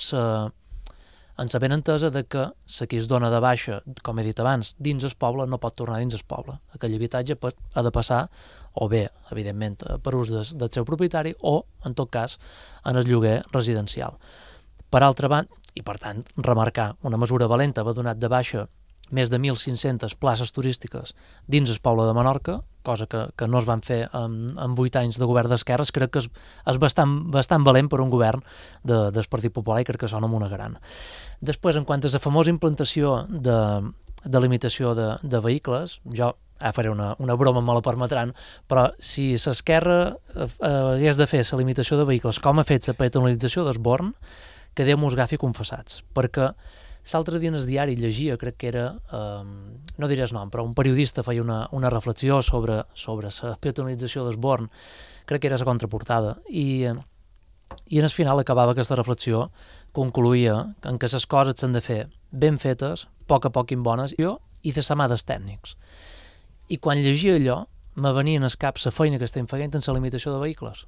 S20: la benentesa que qui es dona de baixa, com he dit abans, dins el poble no pot tornar dins el poble. Aquell habitatge ha de passar, o bé, evidentment, per ús del seu propietari, o, en tot cas, en el lloguer residencial. Per altra banda, i per tant, remarcar, una mesura valenta va donar de baixa més de 1.500 places turístiques dins el poble de Menorca, cosa que no es van fer en 8 anys de govern d'esquerres. Crec que és bastant valent per un govern del Partit Popular i crec que sona amb una gran. Després, en quant a la famosa implantació de limitació de vehicles, jo faré una broma, me la permetran, però si l'Esquerra hagués de fer la limitació de vehicles com ha fet la peatonalització d'Esborn, que Déu mos agafi confessats, perquè l'altre dia en el diari llegia, crec que era, no diré el nom, però un periodista feia una reflexió sobre la peatonalització d'Esborn, crec que era la contraportada, i en el final acabava aquesta reflexió, concluïa en que les coses s'han de fer ben fetes, a poc bones, i de la mà dels tècnics. I quan llegia allò, me venia al cap la feina que estem fent en la limitació de vehicles,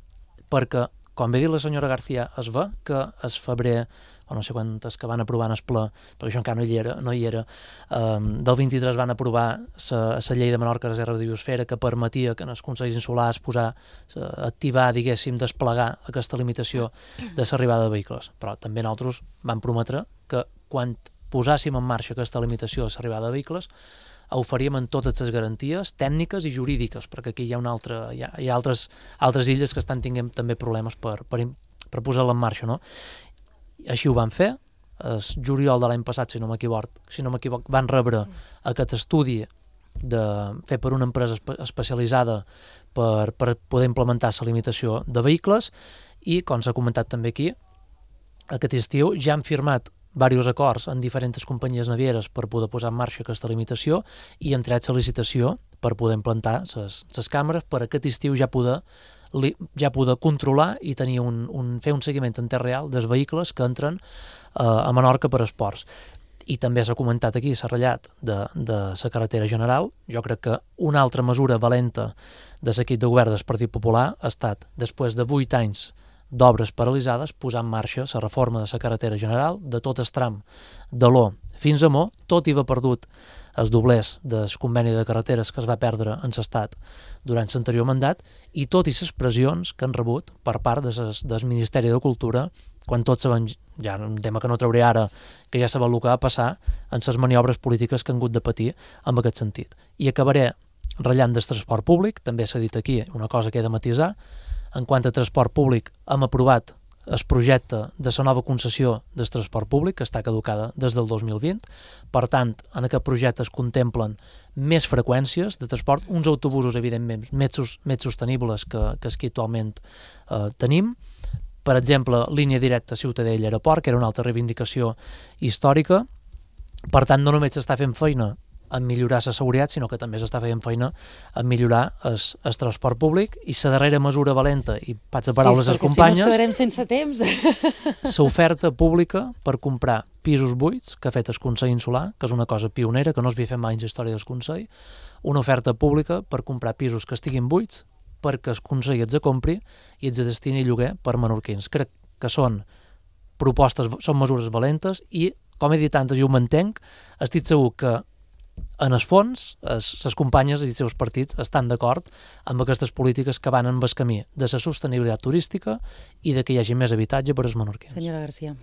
S20: perquè com bé dit la senyora García, es ve que el febrer, o no sé quantes que van aprovar en el ple, perquè això encara no hi era, del 23 van aprovar la llei de Menorca Reserva de Biosfera que permetia que en els consells insulars activar, diguéssim, desplegar aquesta limitació de l'arribada de vehicles. Però també nosaltres vam prometre que quan posàssim en marxa aquesta limitació de l'arribada de vehicles ho faríem amb totes les garanties tècniques i jurídiques, perquè aquí hi ha altres illes que estan tenint també problemes per posar-la en marxa, no? Així ho van fer. El juliol de l'any passat, si no m'equivoc, van rebre aquest estudi fet per una empresa especialitzada per poder implementar la limitació de vehicles i, com s'ha comentat també aquí, aquest estiu ja han firmat diversos acords en diferents companyies navieres per poder posar en marxa aquesta limitació i han tret la licitació per poder implantar les càmeres per aquest estiu ja poder controlar i tenir fer un seguiment en temps real dels vehicles que entren a Menorca per esports. i també s'ha comentat aquí, s'ha ratllat de la carretera general. Jo crec que una altra mesura valenta de l'equip de govern del Partit Popular ha estat, després de 8 anys d'obres paralitzades, posar en marxa la reforma de la carretera general, de tot el tram de l'O fins a Mo, tot i haver perdut els doblers del conveni de carreteres que es va perdre en l'Estat durant l'anterior mandat, i tot i les pressions que han rebut per part del Ministeri de Cultura, quan tots sabem, ja un tema que no trauré ara, que ja sabem el que va passar en les maniobres polítiques que han hagut de patir en aquest sentit. I acabaré ratllant del transport públic, també s'ha dit aquí una cosa que he de matisar. En quant a transport públic, hem aprovat el projecte de la nova concessió del transport públic, que està caducada des del 2020. Per tant, en aquest projecte es contemplen més freqüències de transport, uns autobusos, evidentment, més sostenibles que els que actualment tenim. Per exemple, línia directa Ciutadella-Aeroport, que era una altra reivindicació històrica. Per tant, no només s'està fent feina en millorar la seguretat, sinó que també s'està fent feina en millorar el transport públic. I la darrera mesura valenta, i vaig a paraules a les companyes...
S2: Sí, perquè si no ens quedarem sense temps.
S20: L'oferta pública per comprar pisos buits que ha fet el Consell Insular, que és una cosa pionera, que no es havia fet mai en la història del Consell, una oferta pública per comprar pisos que estiguin buits perquè el Consell els compri i els destini a lloguer per menorquins. Crec que són propostes, són mesures valentes i, com he dit antes, jo ho mantenc, estic segur que en el fons, les companyes i els seus partits estan d'acord amb aquestes polítiques que van en el camí de la sostenibilitat turística i de que hi hagi més habitatge per als menorquins.
S2: Senyora Garcia.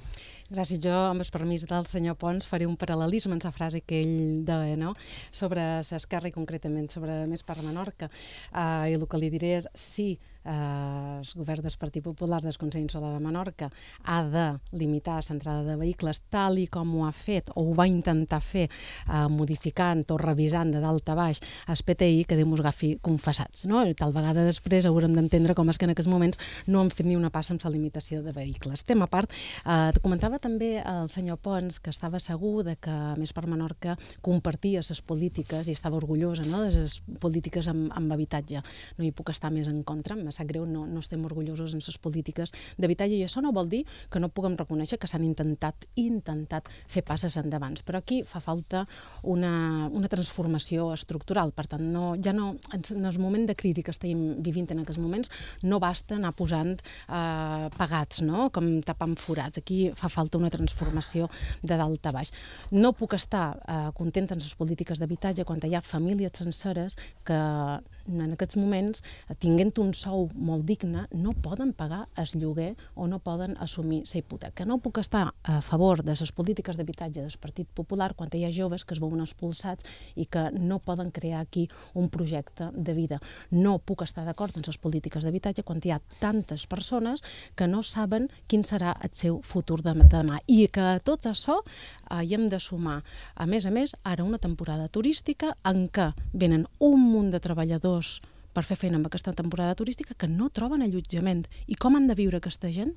S22: Gràcies. Jo, amb el permís del senyor Pons, faré un paral·lelisme en la frase que ell deia, no?, sobre l'Esquerra i concretament sobre Més per Menorca. I el que li diré és, sí, el govern del Partit Popular del Consell Insular de Menorca ha de limitar l'entrada de vehicles tal i com ho ha fet, o ho va intentar fer, modificant o revisant de dalt a baix el PTI, que Déu mos agafi confessats, no? I tal vegada després haurem d'entendre com és que en aquests moments no han fet ni una passa amb la limitació de vehicles. Tema a part, comentava també el senyor Pons que estava segur de que Més per Menorca compartia les polítiques i estava orgullosa, no?, de les polítiques amb habitatge. No hi puc estar més en contra, em sap greu, no estem orgullosos en les polítiques d'habitatge, i això no vol dir que no puguem reconèixer que s'han intentat fer passes endavant, però aquí fa falta una transformació estructural. Per tant, ja no, en el moment de crisi que estem vivint en aquests moments, no basta anar posant pagats, no?, com tapant forats. Aquí fa falta una transformació de dalt a baix. No puc estar contenta en les polítiques d'habitatge quan hi ha famílies senceres que en aquests moments, tinguent un sou molt digne, no poden pagar el lloguer o no poden assumir la hipoteca. No puc estar a favor de les polítiques d'habitatge del Partit Popular quan hi ha joves que es veuen expulsats i que no poden crear aquí un projecte de vida. No puc estar d'acord en les polítiques d'habitatge quan hi ha tantes persones que no saben quin serà el seu futur de demà. I que a tot això hi hem de sumar, a més, ara una temporada turística en què venen un munt de treballadors per fer feina amb aquesta temporada turística que no troben allotjament. I com han de viure aquesta gent?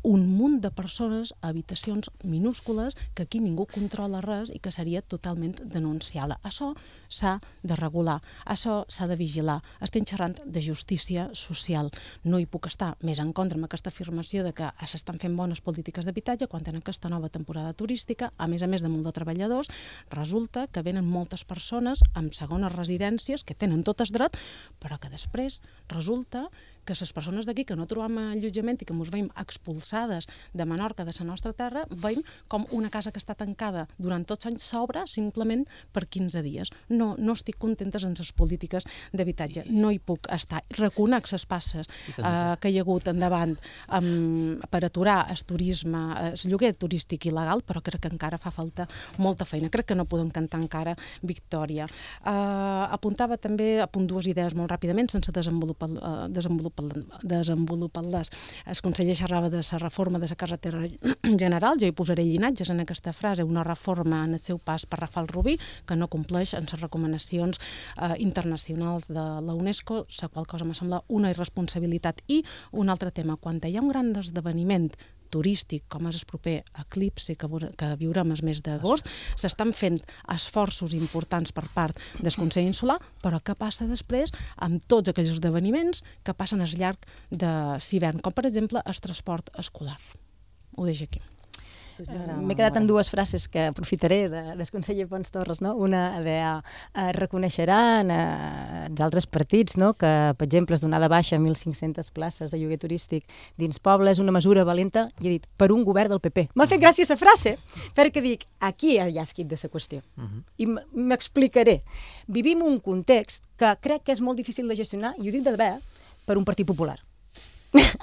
S22: Un munt de persones a habitacions minúscules que aquí ningú controla res i que seria totalment denunciable. Això s'ha de regular, això s'ha de vigilar. Estem xerrant de justícia social. No hi puc estar més en contra amb aquesta afirmació de que s'estan fent bones polítiques d'habitatge quan en aquesta nova temporada turística, a més de molt de treballadors, resulta que venen moltes persones amb segones residències que tenen tot el dret, però que després resulta que les persones d'aquí que no trobem allotjament i que ens veiem expulsades de Menorca, de la nostra terra, veiem com una casa que està tancada durant tots anys s'obre simplement per 15 dies. No estic contenta en les polítiques d'habitatge. No hi puc estar. Reconec les passes que hi ha hagut endavant per aturar el turisme, el lloguer turístic il·legal, però crec que encara fa falta molta feina. Crec que no podem cantar encara victòria. Apuntava també, apunt dues idees molt ràpidament, sense desenvolupar desenvolupar-les. El conseller xerrava de la reforma de la carretera general, jo hi posaré llinatges en aquesta frase, una reforma en el seu pas per Rafal Rubí, que no compleix en les recomanacions internacionals de la UNESCO, la qual cosa me sembla una irresponsabilitat. I un altre tema, quan hi ha un gran esdeveniment turístic, com és el proper eclipsi que viurem el mes d'agost, s'estan fent esforços importants per part del Consell Insular, però què passa després amb tots aquells esdeveniments que passen al llarg de l'hivern, com per exemple el transport escolar? Ho deixo aquí.
S8: M'he quedat en dues frases que aprofitaré del conseller Pons Torres, no? Una deia, reconeixeran els altres partits, no? Que, per exemple, es donar de baixa 1.500 places de lloguer turístic dins poble és una mesura valenta, i he dit, per un govern del PP. M'ha fet gràcia aquesta frase, perquè dic, aquí hi ha esquit de la qüestió. I m'explicaré. Vivim un context que crec que és molt difícil de gestionar, i ho dic de debò, per un partit popular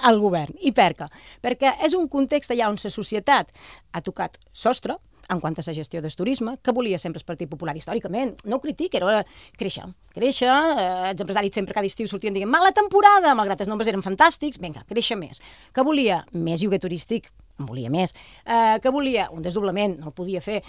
S8: al govern. I per què? Perquè és un context allà on la societat ha tocat sostre en quant a la gestió del turisme, que volia sempre el Partit Popular històricament. No ho critic, era créixer. Els empresaris sempre cada estiu sortien dient mala temporada, malgrat els nombres eren fantàstics, vinga, créixer més. Que volia més lloguer turístic, en volia més. Que volia un desdoblament, no el podia fer.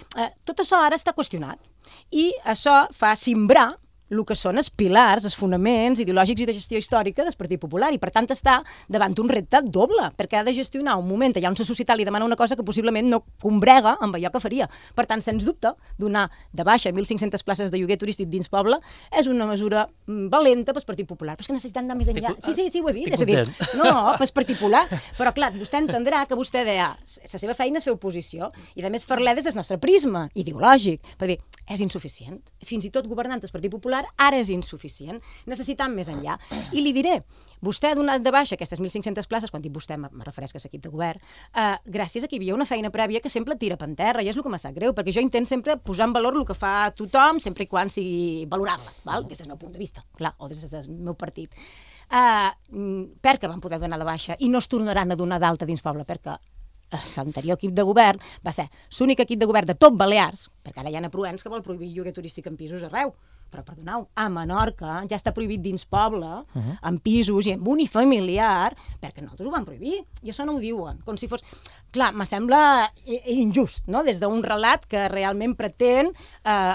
S8: Tot això ara està qüestionat. I això fa simbrar el que són els pilars, els fonaments ideològics i de gestió històrica del Partit Popular, i per tant està davant un repte doble, perquè ha de gestionar un moment allà on la societat li demana una cosa que possiblement no combrega amb allò que faria. Per tant, sens dubte, donar de baixa 1.500 places de lloguer turístic dins poble és una mesura valenta pel Partit Popular. Però és que necessitem anar més enllà. Sí, ho he dit. És a dir, no, pel Partit Popular. Però clar, vostè entendrà que vostè deia la seva feina és fer oposició, i a més fer-la des del nostre prisma ideològic, per dir, és insuficient. Fins i tot governant el Partit Popular ara és insuficient, necessitam més enllà. I li diré, vostè ha donat de baixa aquestes 1.500 places, quan dic vostè me refereix a l'equip de govern, gràcies a que hi havia una feina prèvia que sempre tira per terra, i és el que m'ha sap greu, perquè jo intento sempre posar en valor el que fa tothom, sempre i quan sigui valorable, des del meu punt de vista, clar, o des del meu partit. Per què van poder donar de baixa i no es tornaran a donar d'alta dins poble? Perquè l'anterior equip de govern va ser l'únic equip de govern de tot Balears, perquè ara hi ha Proens que vol prohibir lloguer turístic en pisos arreu, però perdoneu, a Menorca ja està prohibit dins poble, en pisos i en unifamiliar, perquè nosaltres ho vam prohibir, i això no ho diuen, com si fos... Clar, me sembla injust, no?, des d'un relat que realment pretén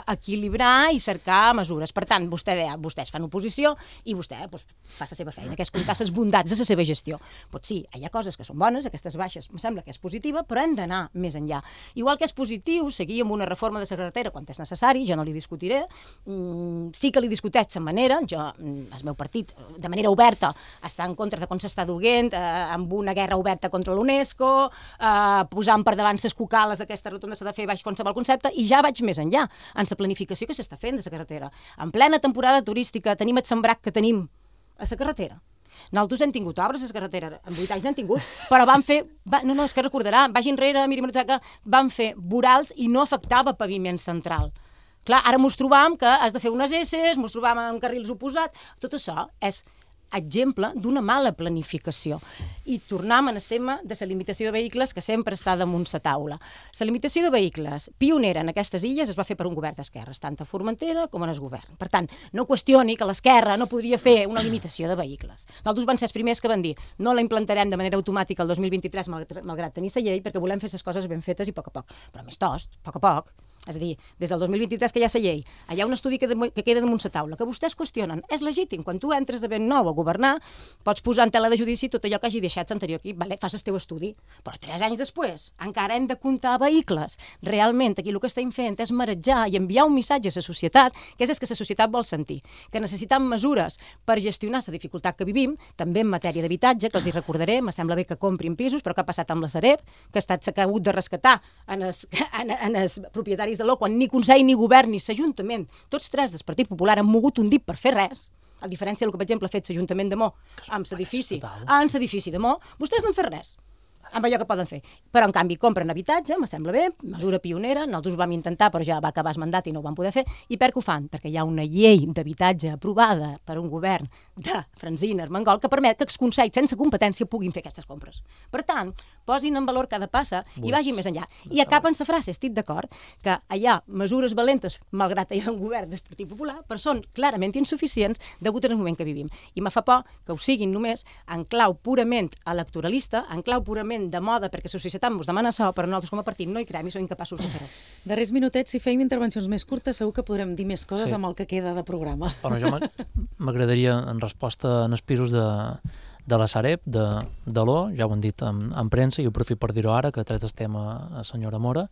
S8: equilibrar i cercar mesures. Per tant, vostès fan oposició i vostè fa la seva feina, que és comptar les bondats de la seva gestió. Doncs sí, hi ha coses que són bones, aquestes baixes, em sembla que és positiva, però hem d'anar més enllà. Igual que és positiu seguir amb una reforma de la carretera quan és necessari, jo no li discutiré, sí que li discuteix de manera, el meu partit, de manera oberta, està en contra de com s'està duent, amb una guerra oberta contra l'UNESCO, posant per davant les cucales d'aquesta rotonda s'ha de fer baix qualsevol concepte, i ja vaig més enllà, en la planificació que s'està fent de la carretera. En plena temporada turística tenim el sembrac que tenim a la carretera. Nosaltres hem tingut obres a la carretera, en 8 anys n'hem tingut, però van fer, no, és que recordarà, vagi enrere, miri Monoteca, van fer vorals i no afectava paviment central. Clar, ara mos trobam que has de fer unes esses, mos trobam en carrils oposats, tot això és exemple d'una mala planificació. I tornem al tema de la limitació de vehicles, que sempre està damunt la taula. La limitació de vehicles pionera en aquestes illes es va fer per un govern d'esquerres, tant a Formentera com en el govern. Per tant, no qüestioni que l'esquerra no podria fer una limitació de vehicles. Nosaltres van ser els primers que van dir no la implantarem de manera automàtica el 2023 malgrat tenir la llei, perquè volem fer les coses ben fetes i a poc a poc. Però més tost, a poc. És a dir, des del 2023 que hi ha la llei, hi ha un estudi que queda damunt la taula, que vostès qüestionen. És legítim, quan tu entres de ben nou a governar, pots posar en tela de judici tot allò que hagi deixat l'anterior equip, fas el teu estudi. Però 3 anys després encara hem de comptar vehicles. Realment, aquí el que estem fent és marejar i enviar un missatge a la societat, que és que la societat vol sentir, que necessitem mesures per gestionar la dificultat que vivim, també en matèria d'habitatge, que els hi recordaré, me sembla bé que comprin pisos, però què ha passat amb la Sareb, que ha estat hagut de rescatar en els propietaris de l'O, quan ni Consell, ni Govern, ni l'Ajuntament, tots tres del Partit Popular han mogut un dit per fer res, a diferència del que, per exemple, ha fet l'Ajuntament de Mo amb l'edifici de Mo, vostès no han fet res amb allò que poden fer. Però, en canvi, compren habitatge, me sembla bé, mesura pionera, nosaltres ho vam intentar, però ja va acabar el mandat i no ho vam poder fer. I per què ho fan? Perquè hi ha una llei d'habitatge aprovada per un govern de Francina Armengol que permet que els consells sense competència puguin fer aquestes compres. Per tant, posin en valor cada passa i vagin més enllà. I acaben la frase, estic d'acord, que hi ha mesures valentes, malgrat que hi ha un govern del Partit Popular, però són clarament insuficients degut al moment que vivim. I me fa por que ho siguin només en clau purament electoralista, en clau purament de moda, perquè la societat ens demana això, però nosaltres com a partit no hi creiem i som incapaços de fer-ho.
S2: Darrers minutets, si feim intervencions més curtes, segur que podrem dir més coses amb el que queda de programa.
S20: Bueno, jo m'agradaria, en resposta en els pisos de la Sareb, de l'O, ja ho han dit en premsa, i ho aprofito per dir-ho ara, que tret el tema a senyora Mora,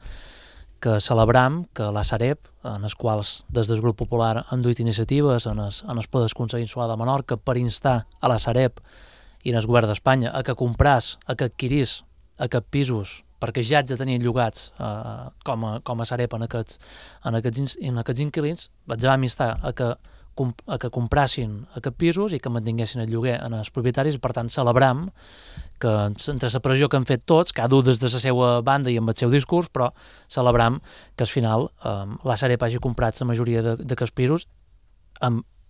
S20: que celebram que la Sareb, en els quals des del Grup Popular han duit iniciatives en el Ple del Consell Insular de Menorca per instar a la Sareb i en el govern d'Espanya a que compràs, a que adquirís aquests pisos perquè ja haig de tenir llogats com a Sareb en aquests inquilins, vaig amistar a que comprassin aquests pisos i que mantinguessin el lloguer en els propietaris, i per tant celebram que entre la pressió que han fet tots, cada un des de la seva banda i amb el seu discurs, però celebram que al final la Sareb hagi comprat la majoria d'aquests pisos,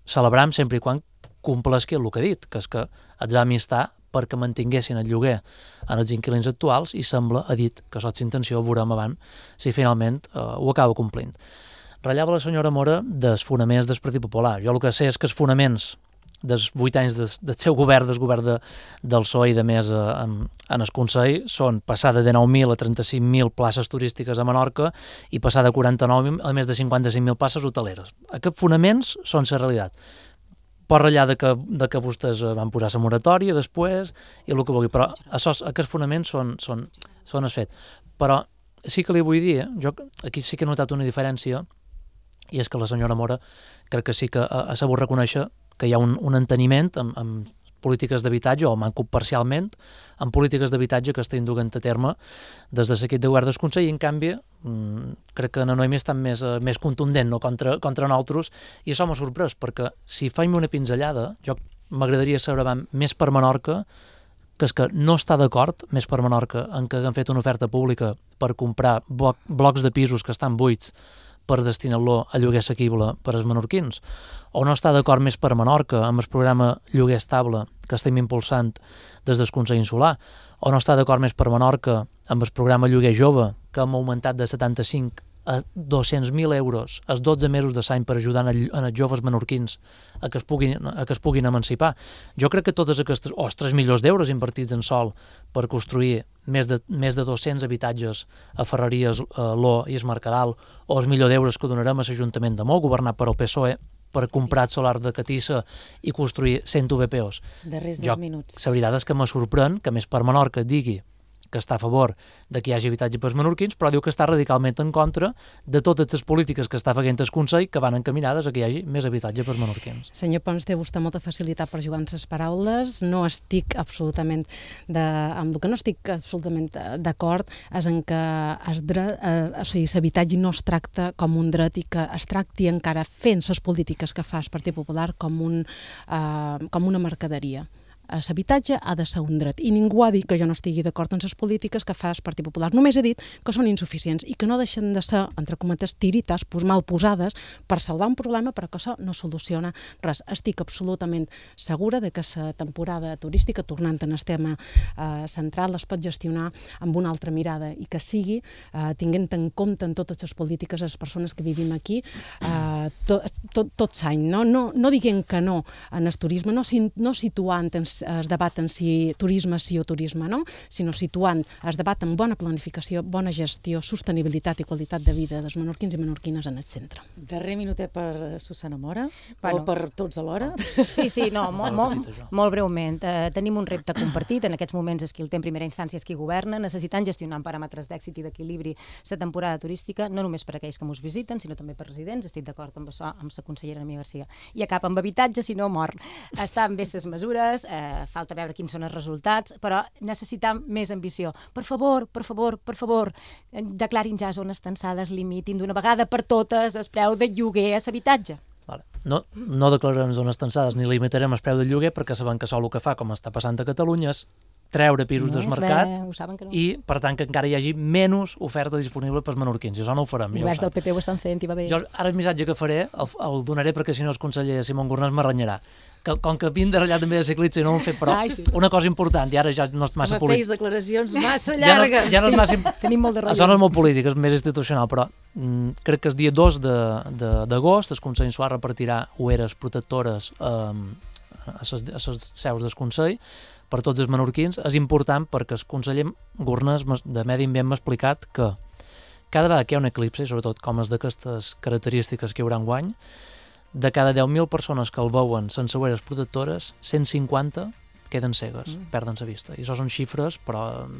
S20: celebram sempre i quan complesqui el que ha dit, que és que els va amistar perquè mantinguessin el lloguer en els inquilins actuals, i sembla, ha dit, que sots intenció, veurem avant si finalment ho acaba complint. Ratllava la senyora Mora dels fonaments del Partit Popular. Jo el que sé és que els fonaments dels 8 anys del seu govern, del govern del PSOE i de més en el Consell, són passar de 19.000 a 35.000 places turístiques a Menorca i passar de 49.000 a més de 55.000 places hoteleres. Aquests fonaments són la realitat. Pot ratllar de que vostès van posar la moratòria després i el que vulgui, però aquests fonaments són el fet. Però sí que li vull dir, jo aquí sí que he notat una diferència, i és que la senyora Mora crec que sí que ha sabut reconèixer que hi ha un enteniment amb polítiques d'habitatge, o manco parcialment, amb polítiques d'habitatge que estan duent a terme des de l'equip de govern del Consell, i en canvi crec que la Noemi està més contundent, no? contra nosaltres, i això m'ha sorprès, perquè si faig una pinzellada, jo m'agradaria saber més per Menorca, que és que no està d'acord, més per Menorca, en que han fet una oferta pública per comprar blocs de pisos que estan buits per destinar-lo a lloguer assequible per als menorquins, o no està d'acord més per Menorca amb el programa Lloguer Estable que estem impulsant des del Consell Insular, o no està d'acord més per Menorca amb el programa Lloguer Jove, que hem augmentat de 75 a 200.000 euros els 12 mesos de l'any per ajudar els joves menorquins a que es puguin emancipar. Jo crec que totes aquestes, o els 3 milions d'euros invertits en sol per construir més de 200 habitatges a Ferreries, Lo i es Mercadal, o els milió d'euros que donarem a l'Ajuntament de Mó, governat per el PSOE, per comprar solar de Catissa i construir 100 VPOs.
S2: Darrers 2 minuts.
S20: La veritat és que me sorprèn que més per Menorca digui que està a favor de que hi hagi habitatge pels menorquins, però diu que està radicalment en contra de totes les polítiques que està fent el Consell que van encaminades a que hi hagi més habitatge pels menorquins.
S22: Senyor Pons, té vostè molta facilitat per jugar amb les paraules. No estic absolutament amb el que no estic absolutament d'acord és en que l'habitatge no es tracta com un dret i que es tracti encara fent les polítiques que fa el Partit Popular com una mercaderia. L'habitatge ha de ser un dret, i ningú ha dit que jo no estigui d'acord amb les polítiques que fa el Partit Popular. Només he dit que són insuficients i que no deixen de ser, entre cometes, tirites mal posades per salvar un problema, però que això no soluciona res. Estic absolutament segura de que la temporada turística, tornant en el tema central, es pot gestionar amb una altra mirada i que sigui tinguent en compte en totes les polítiques les persones que vivim aquí tot l'any. No diguem que no en el turisme, no situant es debat en si turisme sí o turisme no, sinó situant es debat en bona planificació, bona gestió, sostenibilitat i qualitat de vida dels menorquins i menorquines en el centre.
S2: Darrer minutet per Susana Mora, o per tots alhora?
S8: Sí, molt breument. Tenim un repte compartit, en aquests moments és qui el té en primera instància, és qui governa, necessitant gestionar amb paràmetres d'èxit i d'equilibri la temporada turística, no només per aquells que ens visiten, sinó també per residents. Estic d'acord amb això, amb la consellera Noemí Garcia. I acaba amb habitatge, si no mor. Estan bé les mesures, falta veure quins són els resultats, però necessitam més ambició. Per favor, declarin ja zones tensades, limitin d'una vegada per totes el preu de lloguer a l'habitatge.
S20: No declararem zones tensades ni limitarem el preu del lloguer, perquè sabem que això el que fa, com està passant a Catalunya, és treure pisos del mercat i, per tant, que encara hi hagi menys oferta disponible pels menorquins. I això no ho farem.
S8: Els governs del PP ho estan fent i va bé.
S20: Jo ara el missatge que faré el donaré perquè si no el conseller Simón Gornàs m'arrenyarà. Com que vinc de ratllat també de ciclista i no ho hem fet, però una cosa important, i ara ja no és massa polític.
S2: Feis declaracions massa llargues.
S20: Ja no és massa...
S8: Tenim molt de rotllo.
S20: Això no és molt polític, és més institucional, però crec que el dia 2 d'agost el Consell Insular repartirà ulleres protectores a les seus del Consell per tots els menorquins. És important perquè el conseller Gornàs de Medi Ambient m'ha explicat que cada vegada que hi ha un eclipse, sobretot com és d'aquestes característiques que hi haurà enguany, de cada 10.000 persones que el veuen sense ulleres protectores, 150 queden cegues, perden la vista. I això són xifres, però...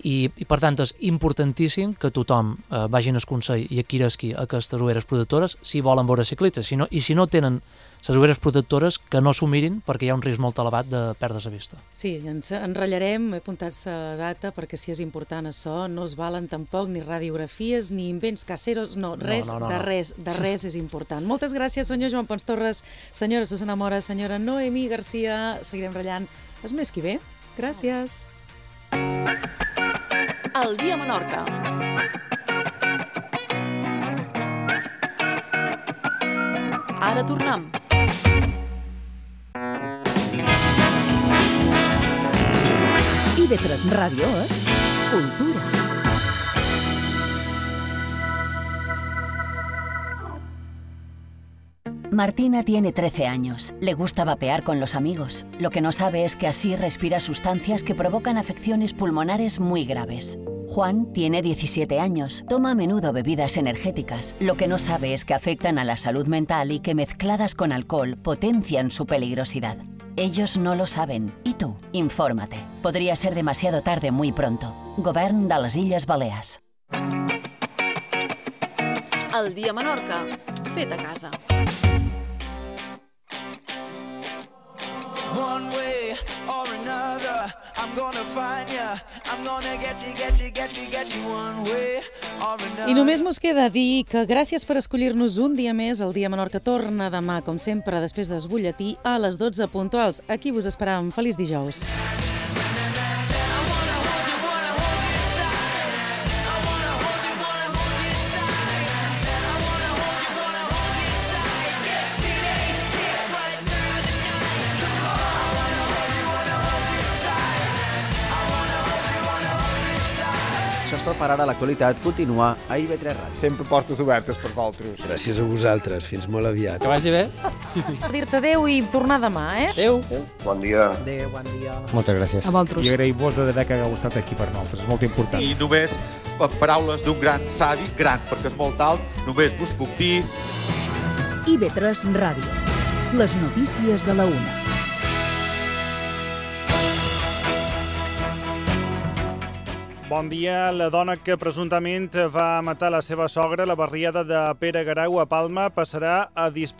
S20: I per tant és importantíssim que tothom vagi al Consell i adquirisqui aquestes ulleres protectores si volen veure ciclistes, i si no tenen les ulleres protectores que no s'ho mirin perquè hi ha un risc molt elevat de perdre la vista.
S2: Sí, ens enratllarem, he apuntat la data perquè si és important això, no es valen tampoc ni radiografies ni invents caseros, res de res és important. Moltes gràcies, senyor Joan Pons Torres, senyora Susana Mora, senyora Noemí Garcia, seguirem ratllant el mes que ve. Gràcies.
S3: El dia a Menorca. Ara tornem.
S17: IB3 Ràdio és cultura.
S7: Martina tiene 13 años. Le gusta vapear con los amigos. Lo que no sabe es que así respira sustancias que provocan afecciones pulmonares muy graves. Juan tiene 17 años. Toma a menudo bebidas energéticas. Lo que no sabe es que afectan a la salud mental y que mezcladas con alcohol potencian su peligrosidad. Ellos no lo saben. ¿Y tú? Infórmate. Podría ser demasiado tarde muy pronto. Govern de les Illes Balears.
S3: El dia a Menorca, fet a casa.
S10: One way or another, I'm gonna find ya. I'm gonna get you one way or another.
S2: I només mos queda dir que gràcies per escollir-nos un dia més. El Dia a Menorca torna demà, com sempre, després del butlletí a les 12 puntuals. Aquí vos esperam. Feliç dijous.
S4: Això és tot per ara. L'actualitat continua a IB3 Ràdio.
S23: Sempre portes obertes per vosaltres.
S24: Gràcies a vosaltres. Fins molt aviat.
S6: Que vagi bé.
S2: Dir-te adeu i tornar demà,
S6: Adeu.
S24: Bon dia.
S21: Adéu, bon dia.
S24: Moltes gràcies.
S22: A vosaltres.
S25: I agraïm-vos de que hagueu estat aquí per nosaltres. És molt important.
S26: I només paraules d'un gran savi, gran perquè és molt alt, només vos puc dir...
S17: IB3 Ràdio. Les notícies de la 1.
S27: Bon dia. La dona que presumptament va matar la seva sogra a la barriada de Pere Garau a Palma passarà a disposició